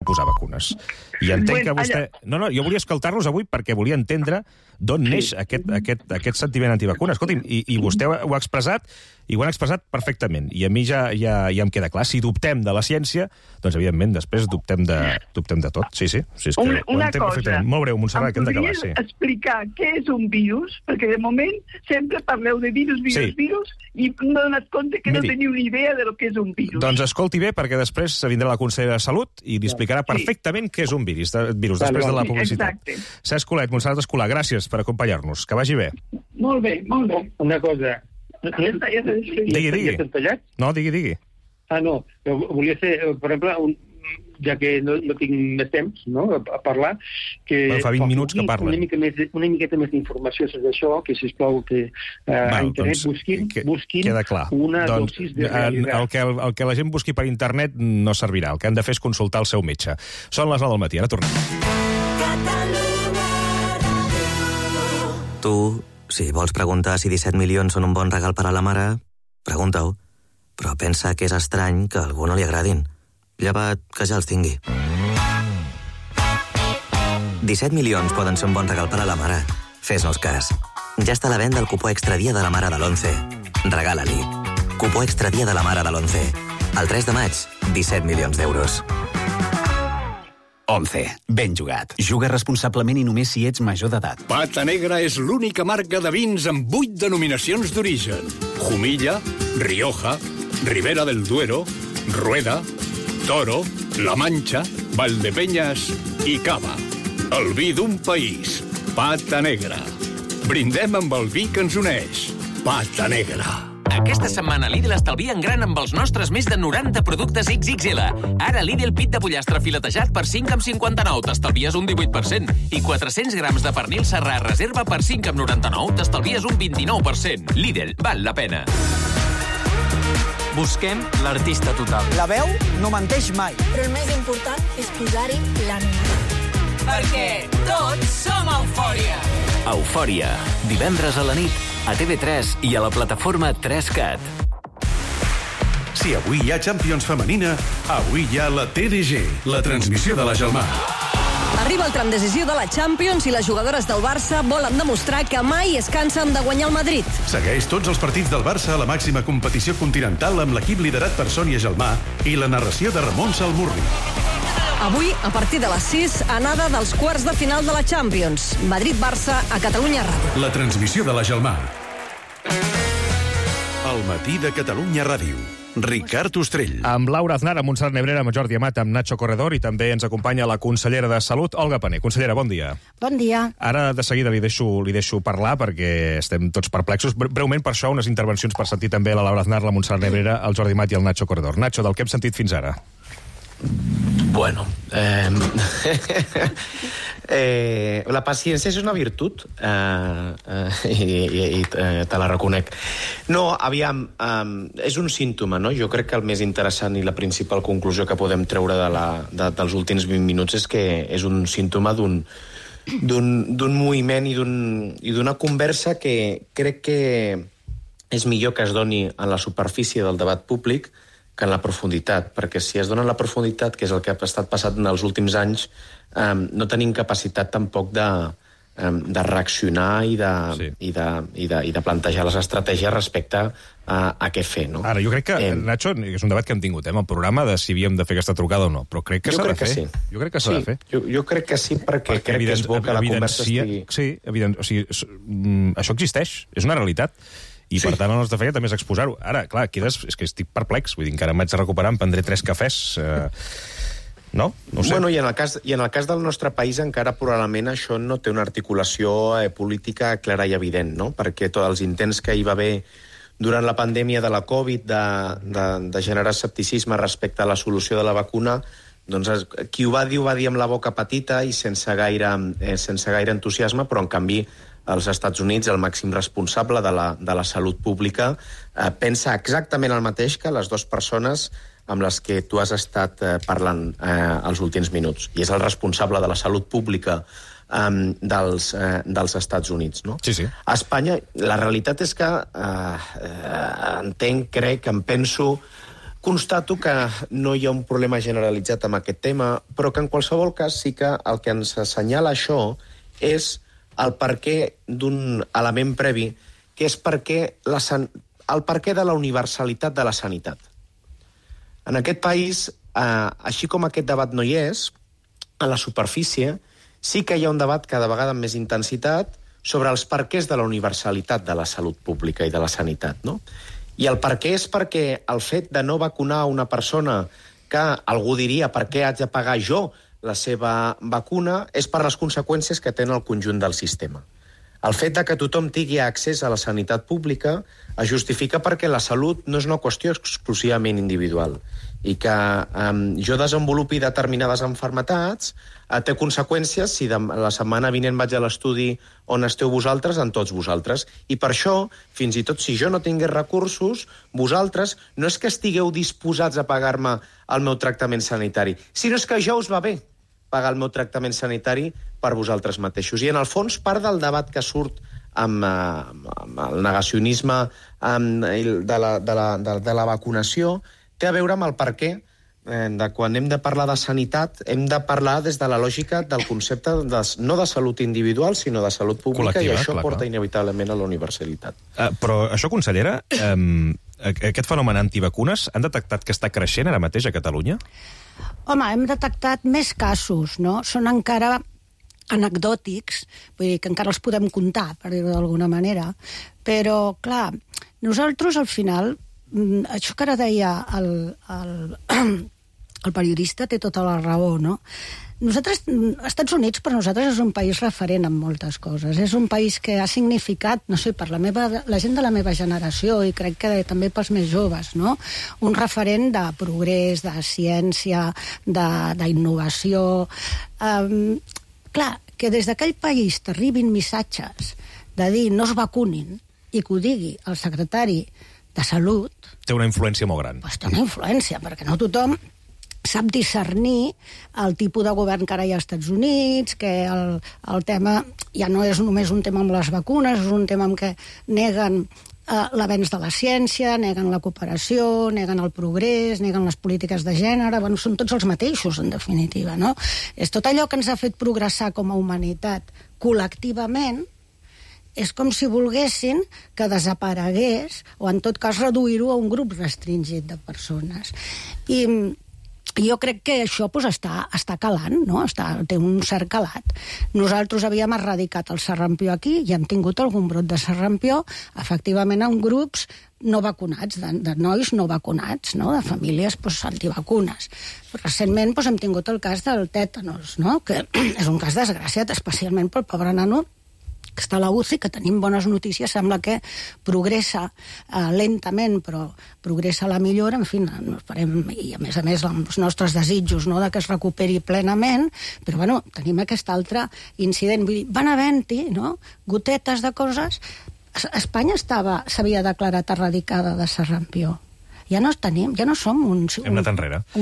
posar vacunes. I entenc que vostè... No, jo volia escoltar-los avui perquè volia entendre d'on neix aquest sentiment antivacunes. Escolti'm, i vostè ho ha expressat, i ho han expressat perfectament. I a mi ja em queda clar. Si dubtem de la ciència, doncs, evidentment, després dubtem de tot. Sí, és que una cosa. Molt breu, Montserrat, que hem d'acabar. Em podries explicar què és un virus? Perquè, de moment, sempre parleu de virus, i m'he donat compte que no teniu ni idea de lo que és un virus. Doncs escolti bé, perquè després vindrà la consellera de Salut i li explicarà perfectament què és un virus després de la publicitat. Cesc Colet, Montserrat Escolà, gràcies per acompanyar-nos. Que vagi bé. Molt bé, molt bé. Una cosa... Digui. No, digui. No, volia fer, per exemple, ja que no tinc més temps a parlar, que fa 20 minuts que parla. Una miqueta més d'informació sobre això, que sisplau que a internet busquin una dosis de realitat. El que la gent busqui per internet no servirà. El que han de fer és consultar el seu metge. Són les 9 del matí, ara tornem. Tu, si vols preguntar si 17 milions són un bon regal per a la mare, pregunta-ho. Però pensa que és estrany que a algú no li agradin. Llevat que ja els tingui. 17 milions poden ser un bon regal per a la mare. Fes-nos cas. Ja està a la venda el cupó extra dia de la mare de l'11. Regala-li. Cupó extra dia de la mare de l'11. El 3 de maig, 17 milions d'euros. 11. Ben jugat. Juga responsablement i només si ets major d'edat. Pata Negra és l'única marca de vins amb 8 denominacions d'origen. Jumilla, Rioja, Ribera del Duero, Rueda, Toro, La Mancha, Valdepeñas i Cava. El vi d'un país. Pata Negra. Brindem amb el vi que ens uneix. Pata Negra. Aquesta setmana Lidl estalvia en gran amb els nostres més de 90 productes XXL. Ara Lidl pit de pollastre filetejat per 5,59 t'estalvies un 18%. I 400 grams de pernil serrà reserva per 5,99 t'estalvies un 29%. Lidl, val la pena. Busquem l'artista total. La veu no menteix mai. Però el més important és posar-hi l'ànima. Perquè tots som Eufòria. Eufòria. Divendres a la nit, a TV3 i a la plataforma 3Cat. Si avui hi ha Champions femenina, avui hi ha la TDG, la transmissió de la Gelmà. Arriba el tram decisiu de la Champions i les jugadores del Barça volen demostrar que mai es cansen de guanyar el Madrid. Segueix tots els partits del Barça a la màxima competició continental amb l'equip liderat per Sònia Gelmà i la narració de Ramon Salmurri. Avui, a partir de les 6, anada dels quarts de final de la Champions. Madrid-Barça a Catalunya Ràdio. La transmissió de la Gelmà. El matí de Catalunya Ràdio. Ricard Ostrell. Amb Laura Aznar, amb Montserrat Nebrera, amb Jordi Amat, amb Nacho Corredor, i també ens acompanya la consellera de Salut, Olga Pané. Consellera, bon dia. Bon dia. Ara, de seguida, li deixo parlar, perquè estem tots perplexos. Breument, per això, unes intervencions per sentir també la Laura Aznar, la Montserrat Nebrera, el Jordi Amat i el Nacho Corredor. Nacho, del que hem sentit fins ara? Bueno, la paciència és una virtut i te la reconec. No, aviam, és un símptoma, no? Jo crec que el més interessant i la principal conclusió que podem treure dels últims 20 minuts és que és un símptoma d'un moviment i d'una conversa que crec que és millor que es doni en la superfície del debat públic que en la profunditat, perquè si es dona en la profunditat, que és el que ha estat passant en els últims anys, no tenim capacitat tampoc de reaccionar i de plantejar les estratègies respecte a què fer, no? Ara, jo crec que, Nacho, és un debat que hem tingut, el programa de si havíem de fer aquesta trucada o no, però crec que s'ha de fer. Sí. Jo crec que s'ha de fer. Jo crec que sí, perquè crec que és bo que la conversa estigui... Sí, evident, o sigui, això existeix, és una realitat. I, per tant, el nostre feina també és exposar-ho. Ara, clar, és que estic perplex. Vull dir, encara m'haig de recuperar, em prendré 3 cafès. No? No ho sé. Bueno, i en el cas del nostre país encara probablement això no té una articulació política clara i evident, no? Perquè tots els intents que hi va haver durant la pandèmia de la Covid de generar escepticisme respecte a la solució de la vacuna, doncs qui ho va dir amb la boca petita i sense gaire entusiasme, però en canvi als Estats Units, el màxim responsable de la salut pública, pensa exactament el mateix que les dues persones amb les que tu has estat parlant els últims minuts. I és el responsable de la salut pública dels Estats Units, no? Sí, sí. A Espanya, la realitat és que entenc, crec, em penso constato que no hi ha un problema generalitzat amb aquest tema, però que en qualsevol cas sí que el que ens assenyala això és el perquè d'un element previ, que és el perquè de la universalitat de la sanitat. En aquest país, així com aquest debat no hi és, a la superfície sí que hi ha un debat cada vegada amb més intensitat sobre els perquès de la universalitat de la salut pública i de la sanitat, no? I el perquè és perquè el fet de no vacunar una persona que algú diria per què haig de pagar jo la seva vacuna és per les conseqüències que té en el conjunt del sistema. El fet de que tothom tingui accés a la sanitat pública es justifica perquè la salut no és una qüestió exclusivament individual i que jo desenvolupi determinades malalties té conseqüències si la setmana vinent vaig a l'estudi on esteu vosaltres, en tots vosaltres. I per això, fins i tot si jo no tingués recursos, vosaltres no és que estigueu disposats a pagar-me el meu tractament sanitari, sinó és que ja us va bé pagar el meu tractament sanitari per vosaltres mateixos. I en el fons, part del debat que surt amb el negacionisme de la vacunació té a veure amb el perquè de quan hem de parlar de sanitat hem de parlar des de la lògica del concepte no de salut individual, sinó de salut pública, col·lectiva, i això porta inevitablement a la universalitat. Però això, consellera, aquest fenomen antivacunes han detectat que està creixent ara mateix a Catalunya? Home, hem detectat més casos, no? Són encara anecdòtics, vull dir que encara els podem comptar, per dir-ho d'alguna manera, però, clar, nosaltres al final, això que ara deia el periodista té tota la raó, no? Nosaltres, Estats Units per nosaltres és un país referent en moltes coses, és un país que ha significat, no sé, per la gent de la meva generació i crec que també pels més joves, no? Un referent de progrés, de ciència, d'innovació. Clar, que des d'aquell país t'arribin missatges de dir no es vacunin i que ho digui el secretari de Salut... Té una influència molt gran. Doncs té una influència, perquè no tothom sap discernir el tipus de govern que ara hi ha als Estats Units, que el tema ja no és només un tema amb les vacunes, és un tema en què neguen l'avenç de la ciència, neguen la cooperació, neguen el progrés, neguen les polítiques de gènere, bueno, són tots els mateixos, en definitiva, no? És tot allò que ens ha fet progressar com a humanitat col·lectivament, és com si volguessin que desaparegués, o en tot cas reduir-ho a un grup restringit de persones. I jo crec que això està calant, no? Té un cert calat. Nosaltres havíem erradicat el sarampió aquí i hem tingut algun brot de sarampió, efectivament en grups no vacunats, de nois no vacunats, no? De famílies antivacunes. Recentment hem tingut el cas del tètanos, no? Que és un cas desgraciat, especialment pel pobre nano que està a la UCI, que tenim bones notícies, sembla que progressa lentament, però progressa a la millora, en fi, esperem, i a més els nostres desitjos, no?, de que es recuperi plenament, però bueno, tenim aquest altre incident. Vull dir, van havent-hi, no?, gotetes de coses. Espanya s'havia declarat erradicada de sarampió. Ja no tenim, ja no som un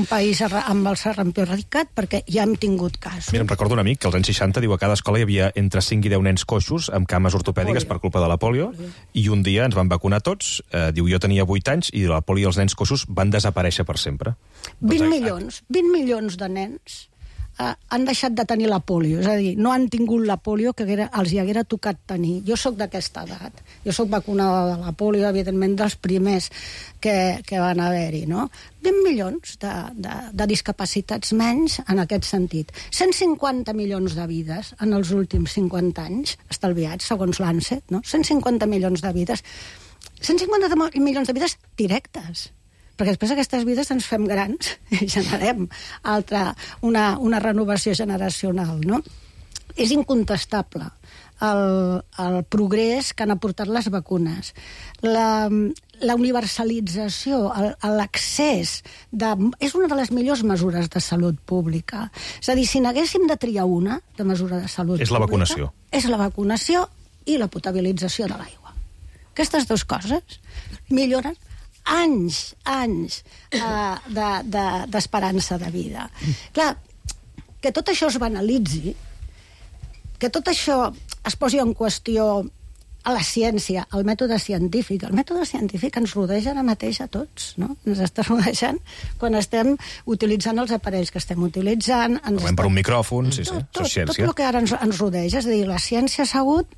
país amb el sarampió erradicat, perquè ja hem tingut casos. Mira, em recordo un amic que als anys 60 diu a cada escola hi havia entre 5 i 10 nens coixos amb cames ortopèdiques per culpa de la pòlio, i un dia ens van vacunar tots, diu, jo tenia 8 anys, i la pòlio i els nens coixos van desaparèixer per sempre. 20 milions de nens han deixat de tenir la pòlio, és a dir, no han tingut la pòlio que els hi haguera tocat tenir. Jo sóc d'aquesta edat, jo sóc vacunada de la pòlio, evidentment dels primers que van haver-hi, no? 20 milions de discapacitats menys en aquest sentit. 150 milions de vides en els últims 50 anys, estalviats, segons l'ANSET, no? 150 milions de vides. 150 milions de vides directes, perquè després aquestes vides ens fem grans i generem una renovació generacional, no? És incontestable el progrés que han aportat les vacunes. La universalització, l'accés, és una de les millors mesures de salut pública. És a dir, si n'haguéssim de triar una de mesura de salut pública... És la vacunació. És la vacunació i la potabilització de l'aigua. Aquestes dues coses milloren anys d'esperança de vida. Clar, que tot això es banalitzi, que tot això es posi en qüestió la ciència, el mètode científic. El mètode científic ens rodeja ara mateix a tots, no? Ens està rodejant quan estem utilitzant els aparells que estem utilitzant. Per un micròfon, sí, tot el que ara ens rodeja. És a dir, la ciència ha sigut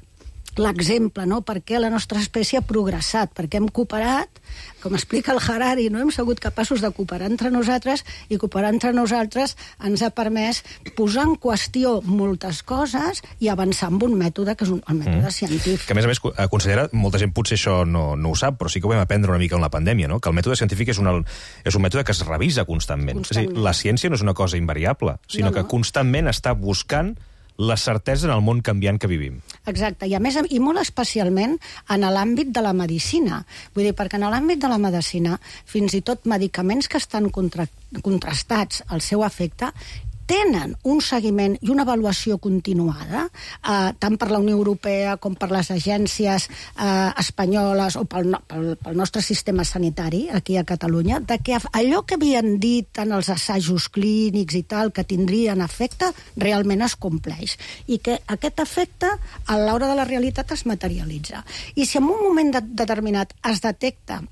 l'exemple, no? Per què la nostra espècie ha progressat, perquè hem cooperat, com explica el Harari, no? Hem sigut capaços de cooperar entre nosaltres, i cooperar entre nosaltres ens ha permès posar en qüestió moltes coses i avançar amb un mètode que és el mètode científic. Que, a més, consellera, molta gent potser això no ho sap, però sí que ho vam aprendre una mica en la pandèmia, no? Que el mètode científic és un mètode que es revisa constantment. És a dir, la ciència no és una cosa invariable, sinó que constantment està buscant la certesa en el món canviant que vivim. Exacte, i a més, i molt especialment en l'àmbit de la medicina. Vull dir, perquè en l'àmbit de la medicina, fins i tot medicaments que estan contrastats al seu efecte, tenen un seguiment i una avaluació continuada, tant per la Unió Europea com per les agències espanyoles o pel nostre sistema sanitari aquí a Catalunya, de que allò que havien dit en els assajos clínics i tal, que tindrien efecte, realment es compleix. I que aquest efecte, a l'hora de la realitat, es materialitza. I si en un moment determinat es detecta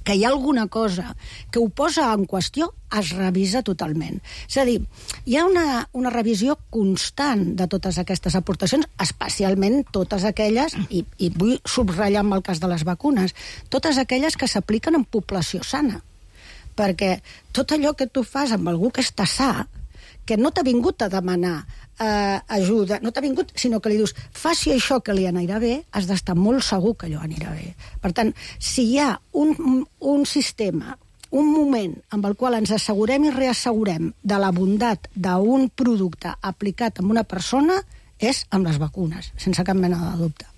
que hi ha alguna cosa que ho posa en qüestió, es revisa totalment. És a dir, hi ha una revisió constant de totes aquestes aportacions, especialment totes aquelles, i vull subratllar amb el cas de les vacunes, totes aquelles que s'apliquen en població sana. Perquè tot allò que tu fas amb algú que està sa, que no t'ha vingut a demanar ajuda, no t'ha vingut, sinó que li dius, faci això que li anirà bé, has d'estar molt segur que allò anirà bé. Per tant, si hi ha un sistema, un moment amb el qual ens assegurem i reassegurem de la bondat d'un producte aplicat en una persona, és amb les vacunes, sense cap mena de dubte.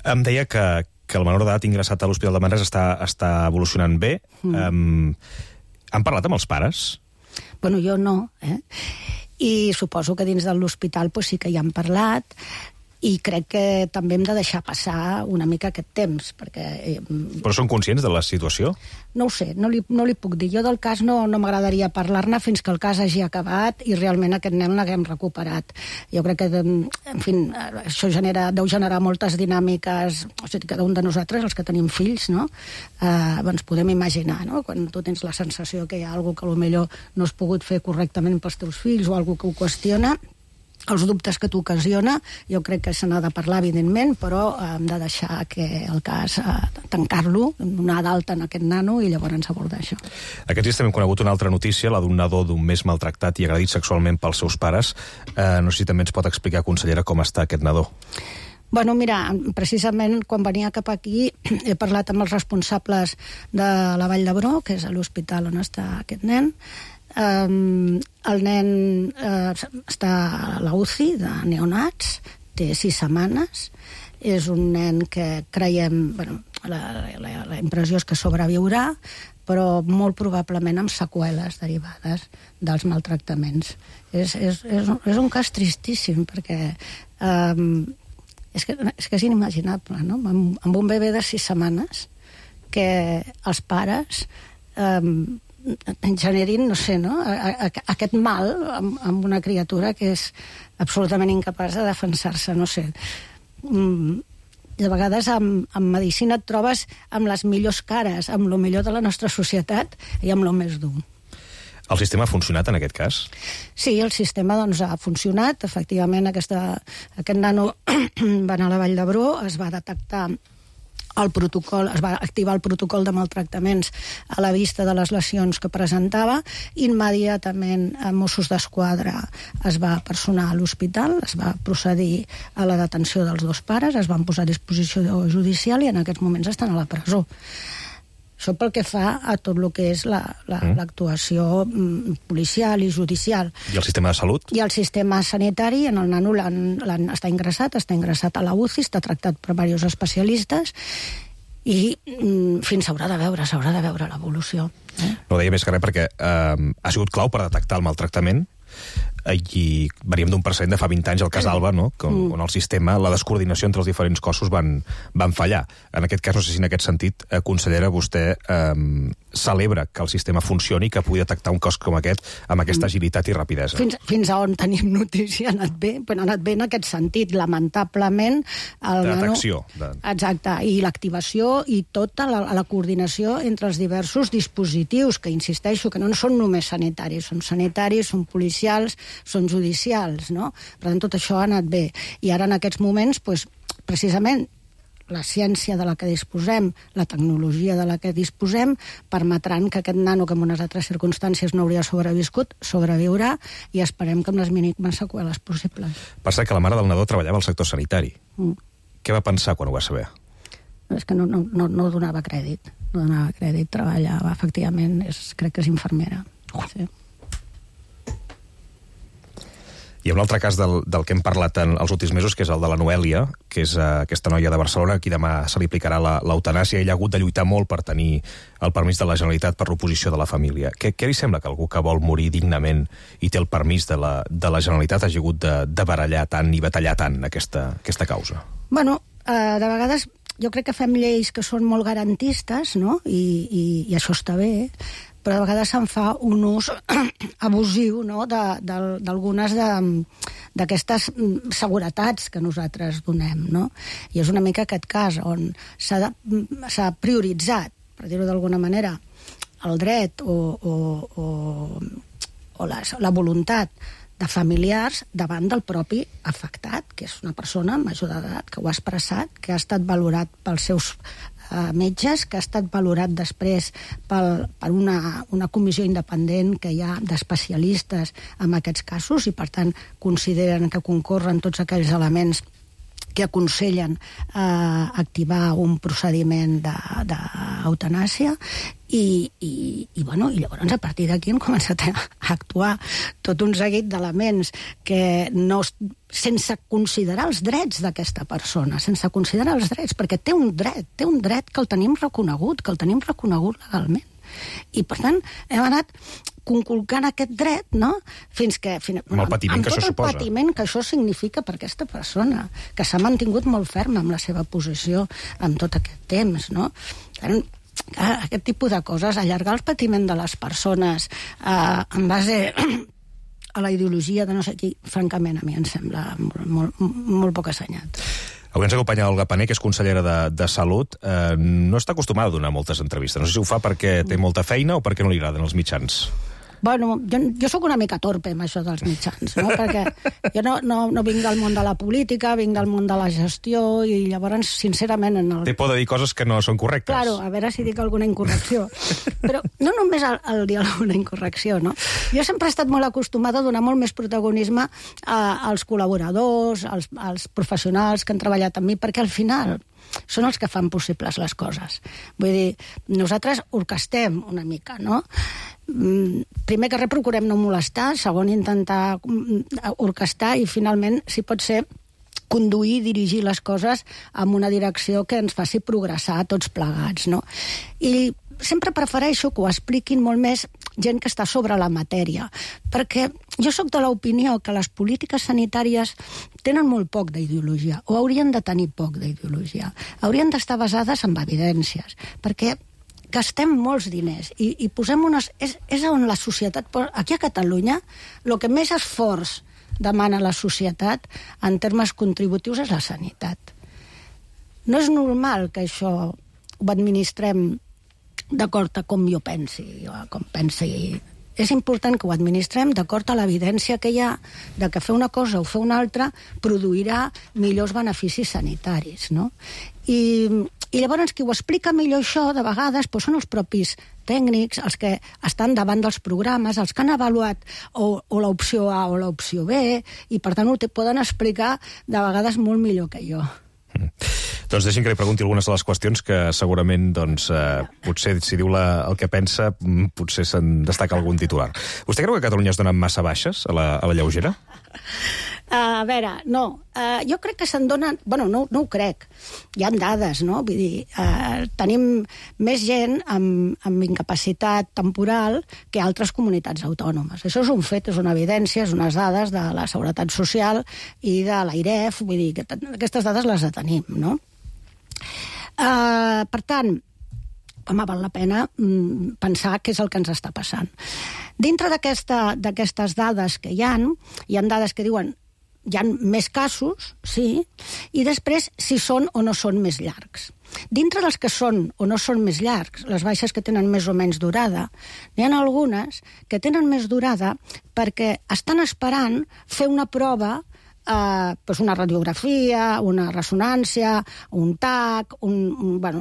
Em deia que el menor d'edat ingressat a l'Hospital de Manresa està evolucionant bé. Han parlat amb els pares? Bueno, jo no, i suposo que dins de l'hospital sí que hi han parlat, i crec que també hem de deixar passar una mica aquest temps, perquè... Però són conscients de la situació? No ho sé, no li puc dir. Jo del cas no m'agradaria parlar-ne fins que el cas hagi acabat i realment aquest nen l'haguem recuperat. Jo crec que, en fi, això deu generar moltes dinàmiques, o sigui, cada un de nosaltres, els que tenim fills, no? Ens podem imaginar, no? Quan tu tens la sensació que hi ha alguna que potser no has pogut fer correctament pels teus fills o alguna que ho qüestiona, els dubtes que t'ocasiona, jo crec que se n'ha de parlar, evidentment, però hem de deixar que el cas, tancar-lo, donar d'alta en aquest nano i llavors abordar això. Aquests dies també hem conegut una altra notícia, la d'un nadó d'un mes maltractat i agredit sexualment pels seus pares. No sé si també ens pot explicar, consellera, com està aquest nadó. Bueno, mira, precisament quan venia cap aquí he parlat amb els responsables de la Vall d'Hebron, que és l'hospital on està aquest nen. El nen està a la UCI de neonats, té 6 setmanes, és un nen que creiem, bueno, la impressió és que sobreviurà, però molt probablement amb seqüeles derivades dels maltractaments. És un cas tristíssim, perquè és que és inimaginable, no? Amb un bebè de 6 setmanes que els pares generin, no sé, no? Aquest mal amb una criatura que és absolutament incapaç de defensar-se, no sé. De vegades en medicina et trobes amb les millors cares, amb el millor de la nostra societat i amb el més dur. El sistema ha funcionat en aquest cas? Sí, el sistema ha funcionat. Efectivament, aquest nano va anar a la Vall d'Hebron, es va detectar el protocol, es va activar el protocol de maltractaments a la vista de les lesions que presentava. Immediatament Mossos d'Esquadra es va personar a l'hospital, es va procedir a la detenció dels 2 pares, es van posar a disposició judicial i en aquests moments estan a la presó. Això pel que fa a tot el que és l'actuació policial i judicial. I el sistema de salut? I el sistema sanitari, en el nano està ingressat a la UCI, està tractat per diversos especialistes i fins s'haurà de veure l'evolució. No ho deia més que res perquè ha sigut clau per detectar el maltractament i veníem d'un precedent de fa 20 anys al cas Alba, no? On el sistema, la descoordinació entre els diferents cossos van fallar. En aquest cas, no sé si en aquest sentit, consellera, vostè celebra que el sistema funcioni i que pugui detectar un cas com aquest amb aquesta agilitat i rapidesa. Fins a on tenim notícia ha anat bé, però ha anat bé en aquest sentit. Lamentablement... Detecció. Exacte, i l'activació i tota la coordinació entre els diversos dispositius, que insisteixo que no són només sanitaris, són policials, són judicials, no? Per tant, tot això ha anat bé. I ara, en aquests moments, precisament, la ciència de la que disposem, la tecnologia de la que disposem, permetran que aquest nano, que en unes altres circumstàncies no hauria sobreviscut, sobreviurà, i esperem que amb les mínimes seqüeles possibles. Per cert, que la mare del nadó treballava al sector sanitari. Què va pensar quan ho va saber? És que no donava crèdit. No donava crèdit, treballava, efectivament, crec que és infermera. Sí. I un altre cas del que hem parlat els últims mesos, que és el de la Noèlia, que és aquesta noia de Barcelona, a qui demà se li aplicarà l'eutanàsia. Ella ha hagut de lluitar molt per tenir el permís de la Generalitat per l'oposició de la família. Què li sembla que algú que vol morir dignament i té el permís de la Generalitat hagi hagut de barallar tant i batallar tant aquesta causa? Bueno, de vegades jo crec que fem lleis que són molt garantistes, no? I això està bé, però de vegades se'n fa un ús abusiu, no?, d'algunes d'aquestes seguretats que nosaltres donem, no? I és una mica aquest cas on s'ha prioritzat, per dir-ho d'alguna manera, el dret o la voluntat de familiars davant del propi afectat, que és una persona major d'edat, que ho ha expressat, que ha estat valorat pels seus metges, que ha estat valorat després per una comissió independent que hi ha d'especialistes en aquests casos i, per tant, consideren que concorren tots aquells elements que aconsellen activar un procediment d'eutanàsia i llavors a partir d'aquí hem començat a actuar tot un seguit d'elements que no, sense considerar els drets d'aquesta persona, sense considerar els drets, perquè té un dret que el tenim reconegut legalment. I, per tant, hem anat conculcant aquest dret, no?, fins que... Amb el patiment que això suposa. Amb tot el patiment que això significa per aquesta persona, que s'ha mantingut molt ferma amb la seva posició en tot aquest temps, no? Aquest tipus de coses, allargar el patiment de les persones en base a la ideologia de no sé qui, francament, a mi em sembla molt poc assenyat. Avui ens acompanya Olga Pané, que és consellera de Salut. No està acostumada a donar moltes entrevistes. No sé si ho fa perquè té molta feina o perquè no li agraden els mitjans. Bueno, jo sóc una mica torpe amb això dels mitjans, no? Perquè jo no vinc del món de la política, vinc del món de la gestió i llavors, sincerament... Té por de dir coses que no són correctes. Claro, a veure si dic alguna incorrecció. Però no només el dir alguna incorrecció, no? Jo sempre he estat molt acostumada a donar molt més protagonisme als col·laboradors, als professionals que han treballat amb mi, perquè al final són els que fan possibles les coses. Vull dir, nosaltres orquestem una mica, no? Primer que res procurem no molestar, segon intentar orquestar i finalment, si pot ser, conduir, dirigir les coses amb una direcció que ens faci progressar tots plegats, no? I sempre prefereixo que ho expliquin molt més gent que està sobre la matèria, perquè jo sóc de l'opinió que les polítiques sanitàries tenen molt poc d'ideologia, o haurien de tenir poc d'ideologia. Haurien d'estar basades en evidències, perquè gastem molts diners i posem unes... És on la societat... Aquí a Catalunya, el que més esforç demana la societat en termes contributius és la sanitat. No és normal que això ho administrem d'acord a com jo pensi, o com pensi. És important que ho administrem d'acord a l'evidència que hi ha de que fer una cosa o fer una altra produirà millors beneficis sanitaris, no? I llavors qui ho explica millor això, de vegades, són els propis tècnics, els que estan davant dels programes, els que han avaluat o l'opció A o l'opció B, i per tant ho poden explicar de vegades molt millor que jo. Doncs deixin que li pregunti algunes de les qüestions que segurament, potser, si diu el que pensa, potser se'n destaca algun titular. Vostè creu que a Catalunya es donen massa baixes a la lleugera? A veure, no. Jo crec que se'n donen... Bueno, no ho crec. Hi ha dades, no? Vull dir, tenim més gent amb incapacitat temporal que altres comunitats autònomes. Això és un fet, és una evidència, és unes dades de la Seguretat Social i de l'AIREF, vull dir, que aquestes dades les tenim, no? Per tant, home, val la pena pensar què és el que ens està passant. Dintre d'aquestes dades que hi ha dades que diuen hi ha més casos, sí, i després si són o no són més llargs. Dintre dels que són o no són més llargs, les baixes que tenen més o menys durada, n'hi ha algunes que tenen més durada perquè estan esperant fer una prova, una radiografia, una ressonància, un TAC, una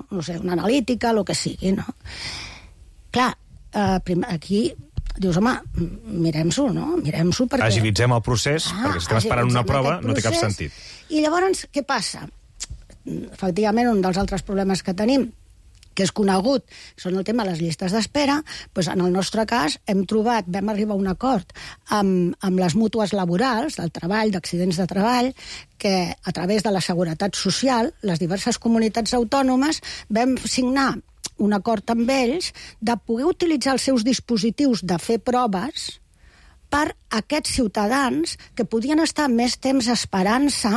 analítica, el que sigui, no? Clar, aquí dius, home, mirem-s'ho, no? Mirem-s'ho perquè... Agilitzem el procés, perquè si estem esperant una prova no té cap sentit. I llavors, què passa? Efectivament, un dels altres problemes que tenim, que és conegut, són el tema de les llistes d'espera, doncs en el nostre cas vam arribar a un acord amb les mútues laborals, del treball, d'accidents de treball, que a través de la Seguretat Social, les diverses comunitats autònomes, vam signar un acord amb ells de poder utilitzar els seus dispositius de fer proves per a aquests ciutadans que podien estar més temps esperant-se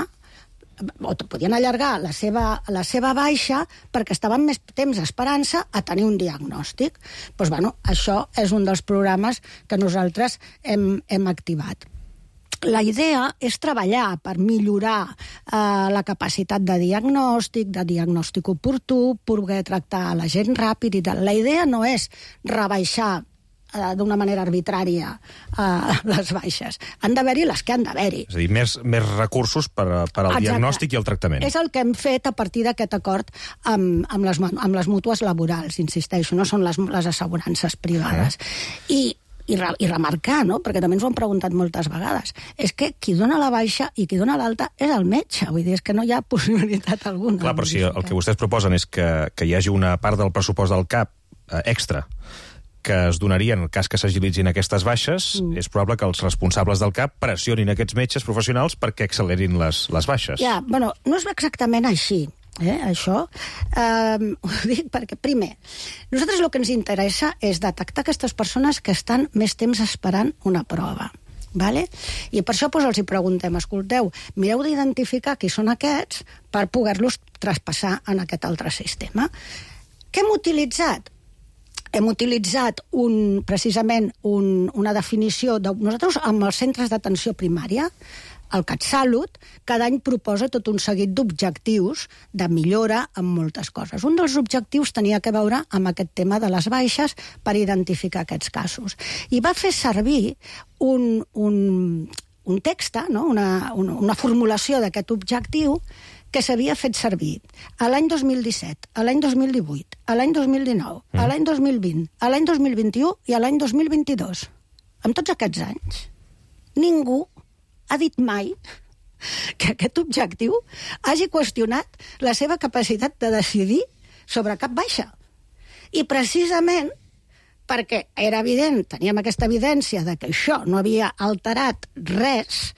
o podien allargar la seva baixa perquè estaven més temps esperant-se a tenir un diagnòstic. Doncs, això és un dels programes que nosaltres hem activat. La idea és treballar per millorar la capacitat de diagnòstic oportú, poder tractar la gent ràpid i tal. La idea no és rebaixar d'una manera arbitrària les baixes. Han d'haver-hi les que han d'haver-hi. És a dir, més recursos per al diagnòstic i el tractament. És el que hem fet a partir d'aquest acord amb les mútues laborals, insisteixo, no són les assegurances privades. I remarcar, no? Perquè també ens ho han preguntat moltes vegades, és que qui dona la baixa i qui dona l'alta és el metge, vull dir, és que no hi ha possibilitat alguna. Clar, però si el que vostès proposen és que hi hagi una part del pressupost del CAP extra que es donaria en el cas que s'agilitzin aquestes baixes, és probable que els responsables del CAP pressionin aquests metges professionals perquè accelerin les baixes. Ja, no és exactament així. Això ho dic perquè, primer, nosaltres el que ens interessa és detectar aquestes persones que estan més temps esperant una prova. Vale? I per això els hi preguntem, escolteu, mireu d'identificar qui són aquests per poder-los traspassar en aquest altre sistema. Què hem utilitzat? Hem utilitzat precisament una definició nosaltres amb els centres d'atenció primària, el CatSalut, cada any proposa tot un seguit d'objectius de millora en moltes coses. Un dels objectius tenia a veure amb aquest tema de les baixes per identificar aquests casos. I va fer servir un text, una formulació d'aquest objectiu que s'havia fet servir a l'any 2017, a l'any 2018, a l'any 2019, a l'any 2020, a l'any 2021 i a l'any 2022. En tots aquests anys, ningú ha dit mai que aquest objectiu hagi qüestionat la seva capacitat de decidir sobre cap baixa. I precisament perquè era evident, teníem aquesta evidència de que això no havia alterat res,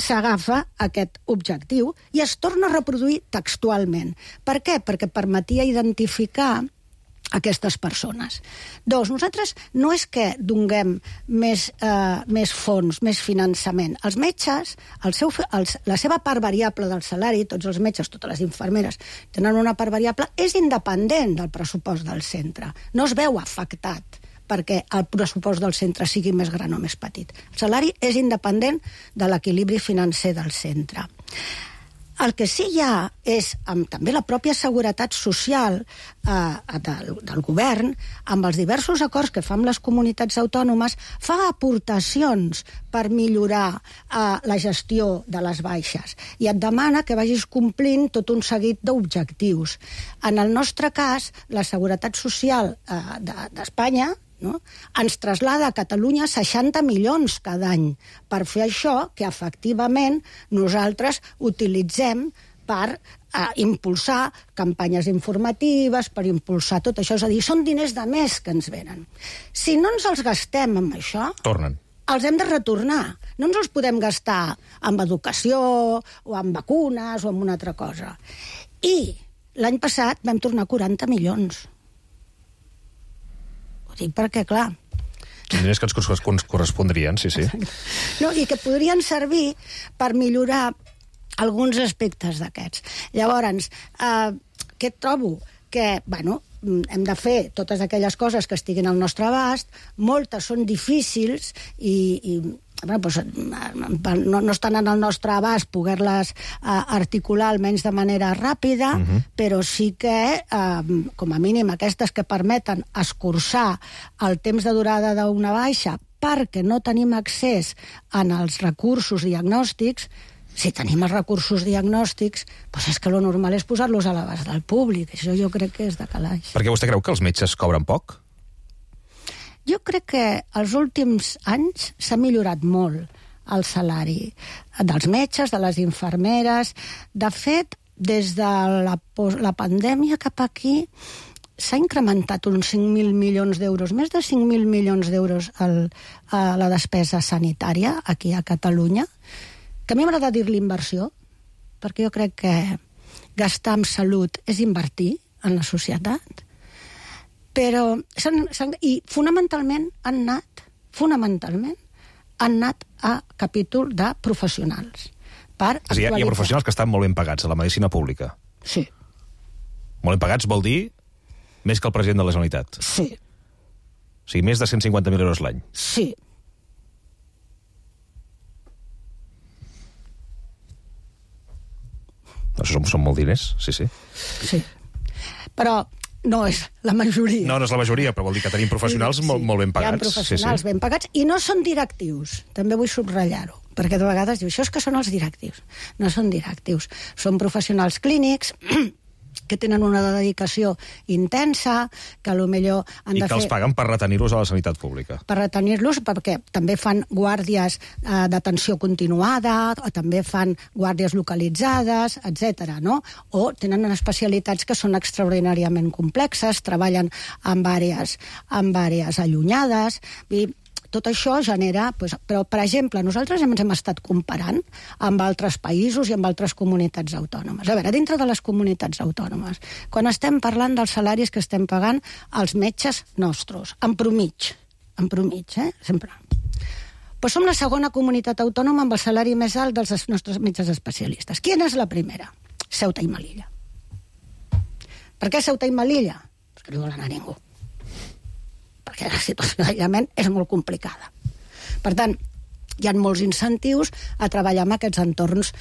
s'agafa aquest objectiu i es torna a reproduir textualment. Per què? Perquè permetia identificar aquestes persones. Nosaltres no és que donem més fons, més finançament. Els metges, la seva part variable del salari, tots els metges, totes les infermeres, tenen una part variable, és independent del pressupost del centre. No es veu afectat perquè el pressupost del centre sigui més gran o més petit. El salari és independent de l'equilibri financer del centre. El que sí hi ha és, també la pròpia seguretat social del govern, amb els diversos acords que fa amb les comunitats autònomes, fa aportacions per millorar la gestió de les baixes i et demana que vagis complint tot un seguit d'objectius. En el nostre cas, la seguretat social d'Espanya ens traslada a Catalunya 60 milions cada any per fer això que efectivament nosaltres utilitzem per impulsar campanyes informatives, per impulsar tot això. És a dir, són diners de més que ens venen. Si no ens els gastem amb això, tornen. Els hem de retornar. No ens els podem gastar amb educació o amb vacunes o amb una altra cosa. I l'any passat vam tornar 40 milions. Perquè, clar... Diners que ens correspondrien, sí. No, i que podrien servir per millorar alguns aspectes d'aquests. Llavors, què trobo? Que, hem de fer totes aquelles coses que estiguin al nostre abast, moltes són difícils i no estan en el nostre abast poder-les articular almenys de manera ràpida, però sí que, com a mínim, aquestes que permeten escurçar el temps de durada d'una baixa perquè no tenim accés als recursos diagnòstics. Si tenim els recursos diagnòstics, doncs és que el normal és posar-los a l'abast del públic. Això jo crec que és de calaix. Per què vostè creu que els metges cobren poc? Jo crec que els últims anys s'ha millorat molt el salari dels metges, de les infermeres. De fet, des de la pandèmia cap aquí s'ha incrementat uns 5.000 milions d'euros, més de 5.000 milions d'euros a la despesa sanitària aquí a Catalunya, que a mi m'agrada dir-li inversió, perquè jo crec que gastar en salut és invertir en la societat, però i fonamentalment han anat a capítol de professionals. És a dir, hi ha professionals que estan molt ben pagats a la medicina pública. Sí. Molt ben pagats vol dir més que el president de la Generalitat. Sí. O sigui, més de 150.000 euros l'any. Sí. Això són molt diners, sí. Sí. Però no és la majoria. No és la majoria, però vol dir que tenim professionals molt ben pagats. Hi ha professionals ben pagats i no són directius. També vull subratllar-ho, perquè de vegades diu, això és que són els directius. No són directius. Són professionals clínics que tenen una dedicació intensa, que potser han de fer... I que els paguen per retenir-los a la sanitat pública. Per retenir-los, perquè també fan guàrdies d'atenció continuada, o també fan guàrdies localitzades, etc. No? O tenen especialitats que són extraordinàriament complexes, treballen en àrees allunyades... Tot això genera... Però, per exemple, nosaltres ens hem estat comparant amb altres països i amb altres comunitats autònomes. A veure, dintre de les comunitats autònomes, quan estem parlant dels salaris que estem pagant als metges nostres, en promig, sempre. Doncs som la segona comunitat autònoma amb el salari més alt dels nostres metges especialistes. Quina és la primera? Ceuta i Melilla. Per què Ceuta i Melilla? Perquè no hi vol anar ningú. Perquè la situació d'aïllament és molt complicada. Per tant, hi ha molts incentius a treballar en aquests entorns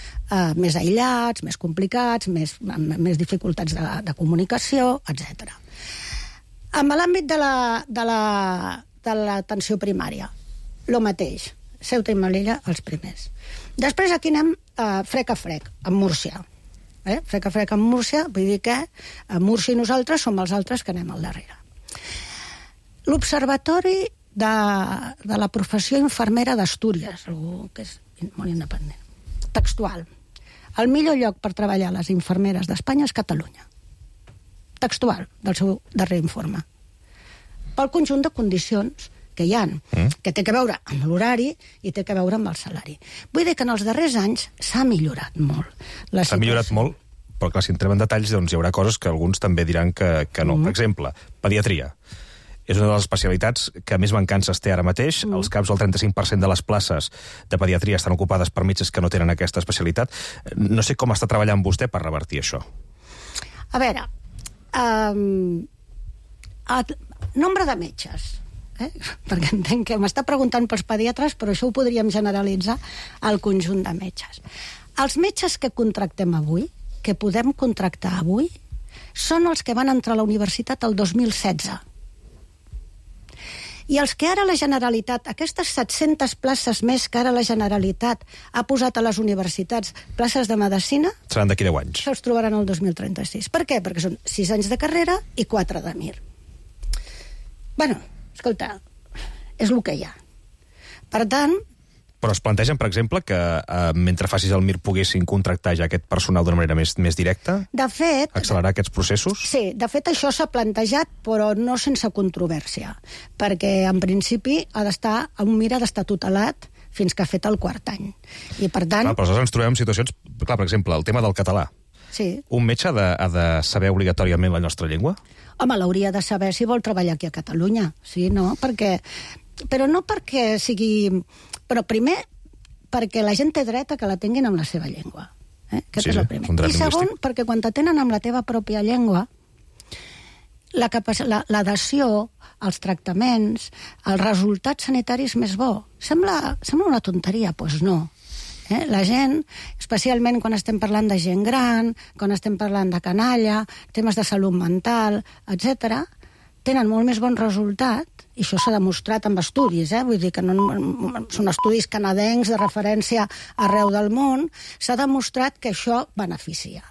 més aïllats, més complicats, més dificultats de comunicació, etc. En l'àmbit de l'atenció primària, el mateix. Ceuta i Melilla, els primers. Després aquí anem frec a frec, amb Múrcia. Frec a frec amb Múrcia, vull dir que Múrcia i nosaltres som els altres que anem al darrere. L'Observatori de la professió infermera d'Astúries, que és molt independent. Textual. El millor lloc per treballar les infermeres d'Espanya és Catalunya. Textual, del seu darrer informe. Pel conjunt de condicions que hi ha, que té que veure amb l'horari i té que veure amb el salari. Vull dir que en els darrers anys s'ha millorat molt. S'ha millorat molt, però clar, si entrem en detalls, doncs hi haurà coses que alguns també diran que no. Per exemple, pediatria. És una de les especialitats que més mancances té ara mateix. Els CAPs, el 35% de les places de pediatria estan ocupades per metges que no tenen aquesta especialitat. No sé com està treballant vostè per revertir això. A veure, nombre de metges, perquè entenc que m'està preguntant pels pediatres, però això ho podríem generalitzar al conjunt de metges. Els metges que contractem avui, que podem contractar avui, són els que van entrar a la universitat el 2016. I els que ara la Generalitat, aquestes 700 places més que ara la Generalitat ha posat a les universitats, places de medicina... Seran d'aquí 10 anys. Això els trobaran el 2036. Per què? Perquè són 6 anys de carrera i 4 de MIR. Bueno, escolta, és el que hi ha. Per tant... Però es plantegen, per exemple, que mentre facis el MIR poguessin contractar ja aquest personal d'una manera més directa? De fet... Accelerar aquests processos? Sí, de fet això s'ha plantejat, però no sense controvèrsia, perquè en principi un MIR ha d'estar tutelat fins que ha fet el 4 any. I per tant... Clar, però aleshores ens trobem en situacions... Clar, per exemple, el tema del català. Sí. Un metge ha de saber obligatòriament la nostra llengua? Home, l'hauria de saber si vol treballar aquí a Catalunya. Sí, no? Però no perquè sigui... Però primer, perquè la gent té dret a que la tinguin amb la seva llengua. Aquest és el primer. I segon, perquè quan t'atenen amb la teva pròpia llengua, l'adhesió, els tractaments, els resultats sanitaris més bo. Sembla una tonteria, doncs no. La gent, especialment quan estem parlant de gent gran, quan estem parlant de canalla, temes de salut mental, etc., tenen molt més bon resultat, i això s'ha demostrat amb estudis, vull dir que no són estudis canadencs de referència arreu del món, s'ha demostrat que això beneficia.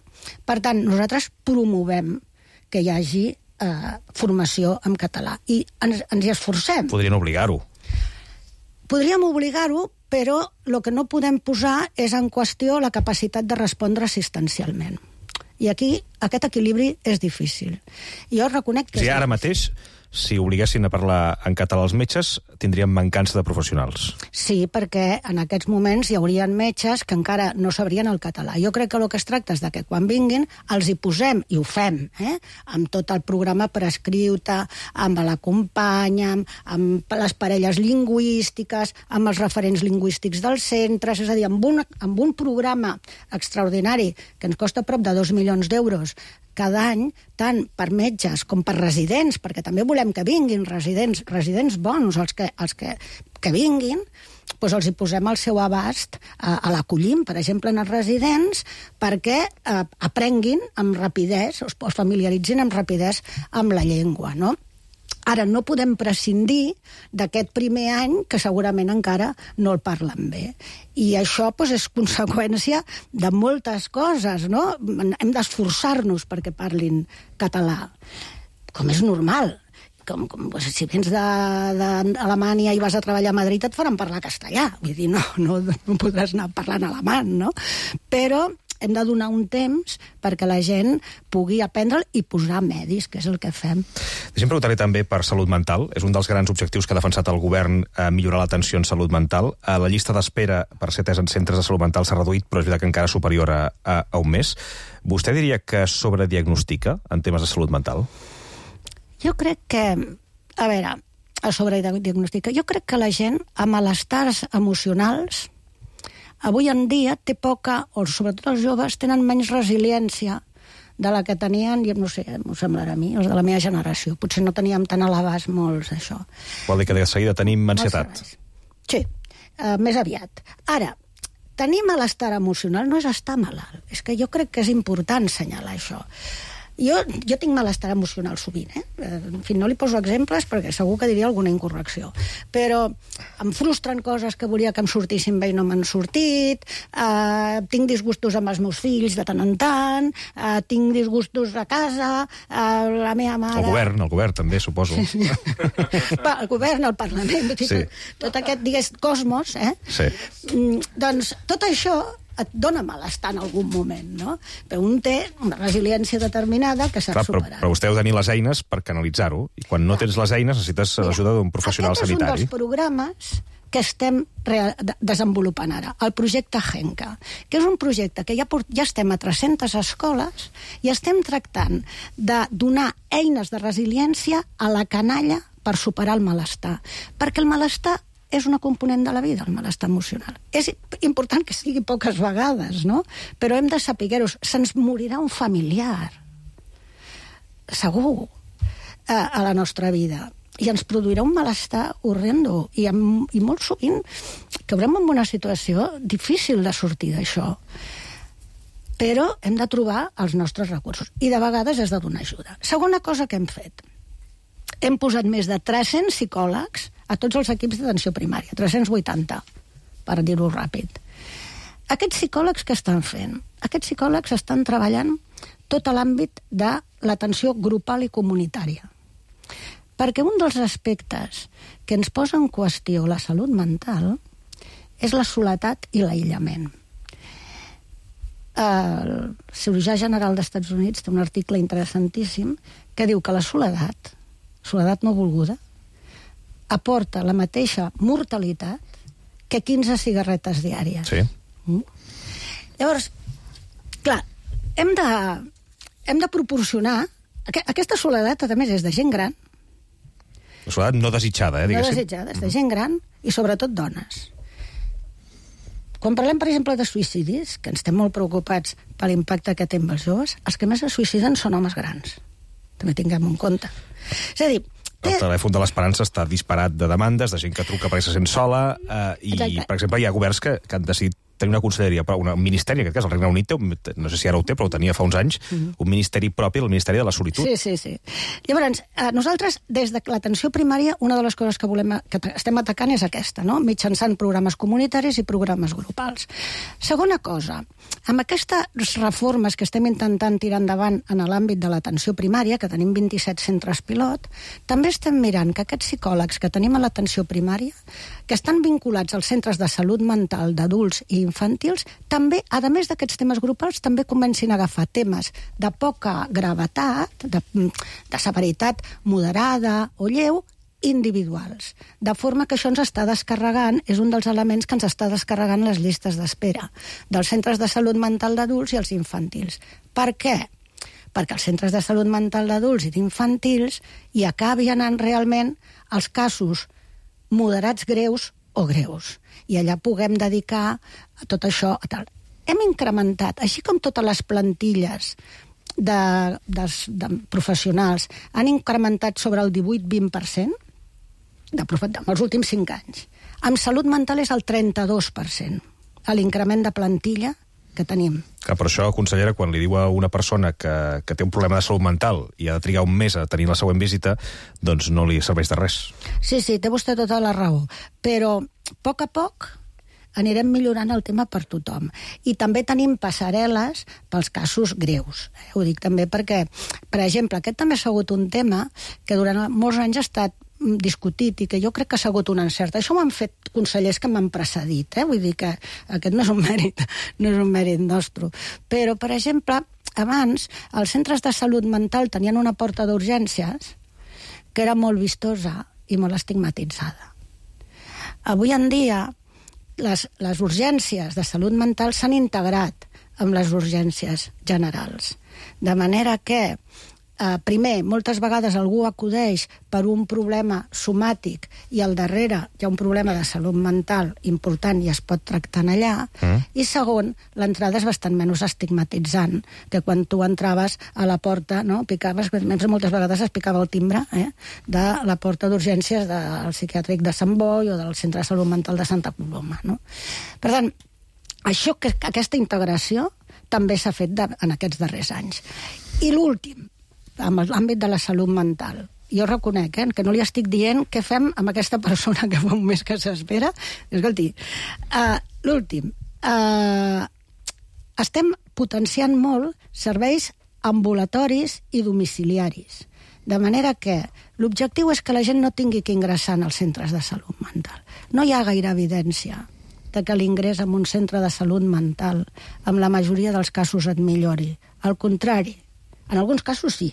Per tant, nosaltres promovem que hi hagi formació en català i ens hi esforcem. Podrien obligar-ho. Podríem obligar-ho, però el que no podem posar és en qüestió la capacitat de respondre assistencialment. I aquí aquest equilibri és difícil. Jo reconec que... O sigui, ara mateix, si obliguessin a parlar en català als metges, tindríem mancança de professionals. Sí, perquè en aquests moments hi haurien metges que encara no sabrien el català. Jo crec que el que es tracta és que quan vinguin els hi posem, i ho fem, amb tot el programa prescripte, amb la companya, amb les parelles lingüístiques, amb els referents lingüístics dels centres, és a dir, amb un programa extraordinari que ens costa prop de 2 milions d'euros cada any, tant per metges com per residents, perquè també volem que vinguin residents bons, els que vinguin, doncs els hi posem al seu abast, l'acollim, per exemple, en els residents, perquè aprenguin amb rapidesa, es familiaritzin amb rapidesa amb la llengua, no? Ara, no podem prescindir d'aquest primer any que segurament encara no el parlen bé. I això és conseqüència de moltes coses, no? Hem d'esforçar-nos perquè parlin català, com és normal. Si vens d'Alemanya i vas a treballar a Madrid et faran parlar castellà. Vull dir, no podràs anar parlant alemany, no? Però hem de donar un temps perquè la gent pugui aprendre'l i posar medis, que és el que fem. Deixem preguntar-li també per salut mental. És un dels grans objectius que ha defensat el govern, millorar l'atenció en salut mental. La llista d'espera per ser atès en centres de salut mental s'ha reduït, però és veritat que encara superior a un mes. Vostè diria que sobrediagnostica en temes de salut mental? Jo crec que... A veure, sobrediagnostica. Jo crec que la gent amb malestars emocionals avui en dia té poca, o sobretot els joves, tenen menys resiliència de la que tenien, no sé, m'ho semblarà a mi, els de la meva generació. Potser no teníem tan a l'abast molts d'això. Vol dir que de seguida tenim ansietat? Sí, més aviat. Ara, tenir malestar emocional no és estar malalt. És que jo crec que és important assenyalar això. Jo tinc malestar emocional sovint, En fi, no li poso exemples perquè segur que diria alguna incorrecció. Però em frustren coses que volia que em sortissin bé i no m'han sortit, tinc disgustos amb els meus fills de tant en tant, tinc disgustos a casa, la meva mare... El govern també, suposo. Sí. El govern, el Parlament, tot aquest, digués, cosmos, Sí. Doncs tot això et dona malestar en algun moment, no? Però un té una resiliència determinada que s'ha superat. Però vostè heu de tenir les eines per canalitzar-ho, i quan no tens les eines necessites l'ajuda d'un professional sanitari. Aquest és un dels programes que estem desenvolupant ara, el projecte Genca, que és un projecte que ja estem a 300 escoles i estem tractant de donar eines de resiliència a la canalla per superar el malestar. Perquè el malestar és una component de la vida, el malestar emocional. És important que sigui poques vegades, no? Però hem de saber-ho. Se'ns morirà un familiar, segur, a la nostra vida. I ens produirà un malestar horrendo. I molt sovint caurem en una situació difícil de sortir d'això. Però hem de trobar els nostres recursos. I de vegades has de donar ajuda. Segona cosa que hem fet. Hem posat més de 300 psicòlegs a tots els equips d'atenció primària, 380, per dir-ho ràpid. Aquests psicòlegs què estan fent? Aquests psicòlegs estan treballant tot l'àmbit de l'atenció grupal i comunitària. Perquè un dels aspectes que ens posa en qüestió la salut mental és la soledat i l'aïllament. El cirurgià general dels Estats Units té un article interessantíssim que diu que la soledat no volguda, aporta la mateixa mortalitat que 15 cigarretes diàries. Sí. Llavors, clar, hem de proporcionar... Aquesta soledat, a més, és de gent gran. La soledat no desitjada, diguéssim. No desitjada, és de gent gran i sobretot dones. Quan parlem, per exemple, de suïcidis, que ens estem molt preocupats per l'impacte que té amb els joves, els que més es suïciden són homes grans. també tinguem en compte. És a dir, el telèfon de l'Esperança està disparat de demandes, de gent que truca perquè se sent sola, i, per exemple, hi ha governs que han decidit tenir una conselleria, un ministeri, en aquest cas el Regne Unit, no sé si ara ho té, però ho tenia fa uns anys, un ministeri propi, el Ministeri de la Solitud. Sí. Llavors, nosaltres, des de l'atenció primària, una de les coses que estem atacant és aquesta, no? Mitjançant programes comunitaris i programes grupals. Segona cosa, amb aquestes reformes que estem intentant tirar endavant en l'àmbit de l'atenció primària, que tenim 27 centres pilot, també estem mirant que aquests psicòlegs que tenim a l'atenció primària, que estan vinculats als centres de salut mental d'adults i infantils, també, a més d'aquests temes grupals, també comencin a agafar temes de poca gravetat, de severitat moderada o lleu, individuals. De forma que això ens està descarregant, és un dels elements que ens està descarregant les llistes d'espera dels centres de salut mental d'adults i els infantils. Per què? Perquè els centres de salut mental d'adults i d'infantils hi acabi anant realment els casos moderats greus o greus. I allà puguem dedicar a tot això a tal. Hem incrementat, així com totes les plantilles de professionals han incrementat sobre el 18-20% els últims 5 anys. Amb salut mental és el 32%, l'increment de plantilla que tenim. Per això, consellera, quan li diu a una persona que té un problema de salut mental i ha de trigar un mes a tenir la següent visita, doncs no li serveix de res. Sí, té vostè tota la raó. Però, a poc anirem millorant el tema per tothom. I també tenim passarel·les pels casos greus. Ho dic també perquè, per exemple, aquest també ha sigut un tema que durant molts anys ha estat discutit i que jo crec que ha sigut un encert. Això ho han fet consellers que m'han precedit, vull dir que aquest no és un mèrit nostre. Però, per exemple, abans els centres de salut mental tenien una porta d'urgències que era molt vistosa i molt estigmatitzada. Avui en dia les urgències de salut mental s'han integrat amb les urgències generals. De manera que primer, moltes vegades algú acudeix per un problema somàtic i al darrere hi ha un problema de salut mental important i es pot tractar allà. I segon, l'entrada és bastant menys estigmatitzant que quan tu entraves a la porta, picaves, moltes vegades es picava el timbre de la porta d'urgències del psiquiàtric de Sant Boi o del Centre de Salut Mental de Santa Coloma. Per tant, aquesta integració també s'ha fet en aquests darrers anys. I l'últim, amb l'àmbit de la salut mental. Jo reconec que no li estic dient què fem amb aquesta persona que fa un mes que s'espera. Escolti, l'últim, estem potenciant molt serveis ambulatoris i domiciliaris. De manera que l'objectiu és que la gent no tingui que ingressar en els centres de salut mental. No hi ha gaire evidència de que l'ingrés en un centre de salut mental en la majoria dels casos et millori. Al contrari, en alguns casos sí,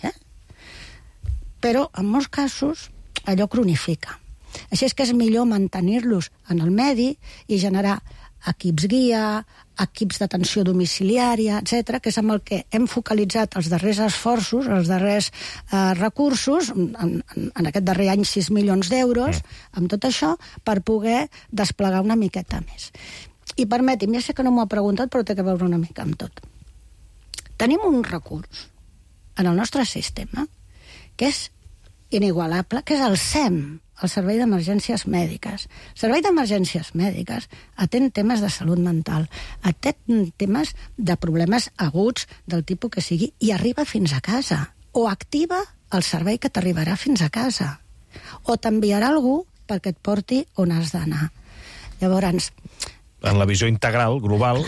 però en molts casos allò cronifica. Així és que és millor mantenir-los en el medi i generar equips guia, equips d'atenció domiciliària, etc., que és amb el que hem focalitzat els darrers esforços, els darrers recursos, en aquest darrer any 6 milions d'euros, amb tot això, per poder desplegar una miqueta més. I permeti'm, ja sé que no m'ho ha preguntat, però té que veure una mica amb tot. Tenim un recurs en el nostre sistema, que és inigualable, que és el SEM, el Servei d'Emergències Mèdiques. El Servei d'Emergències Mèdiques atén temes de salut mental, atén temes de problemes aguts del tipus que sigui, i arriba fins a casa, o activa el servei que t'arribarà fins a casa, o t'enviarà algú perquè et porti on has d'anar. Llavors, en la visió integral, global,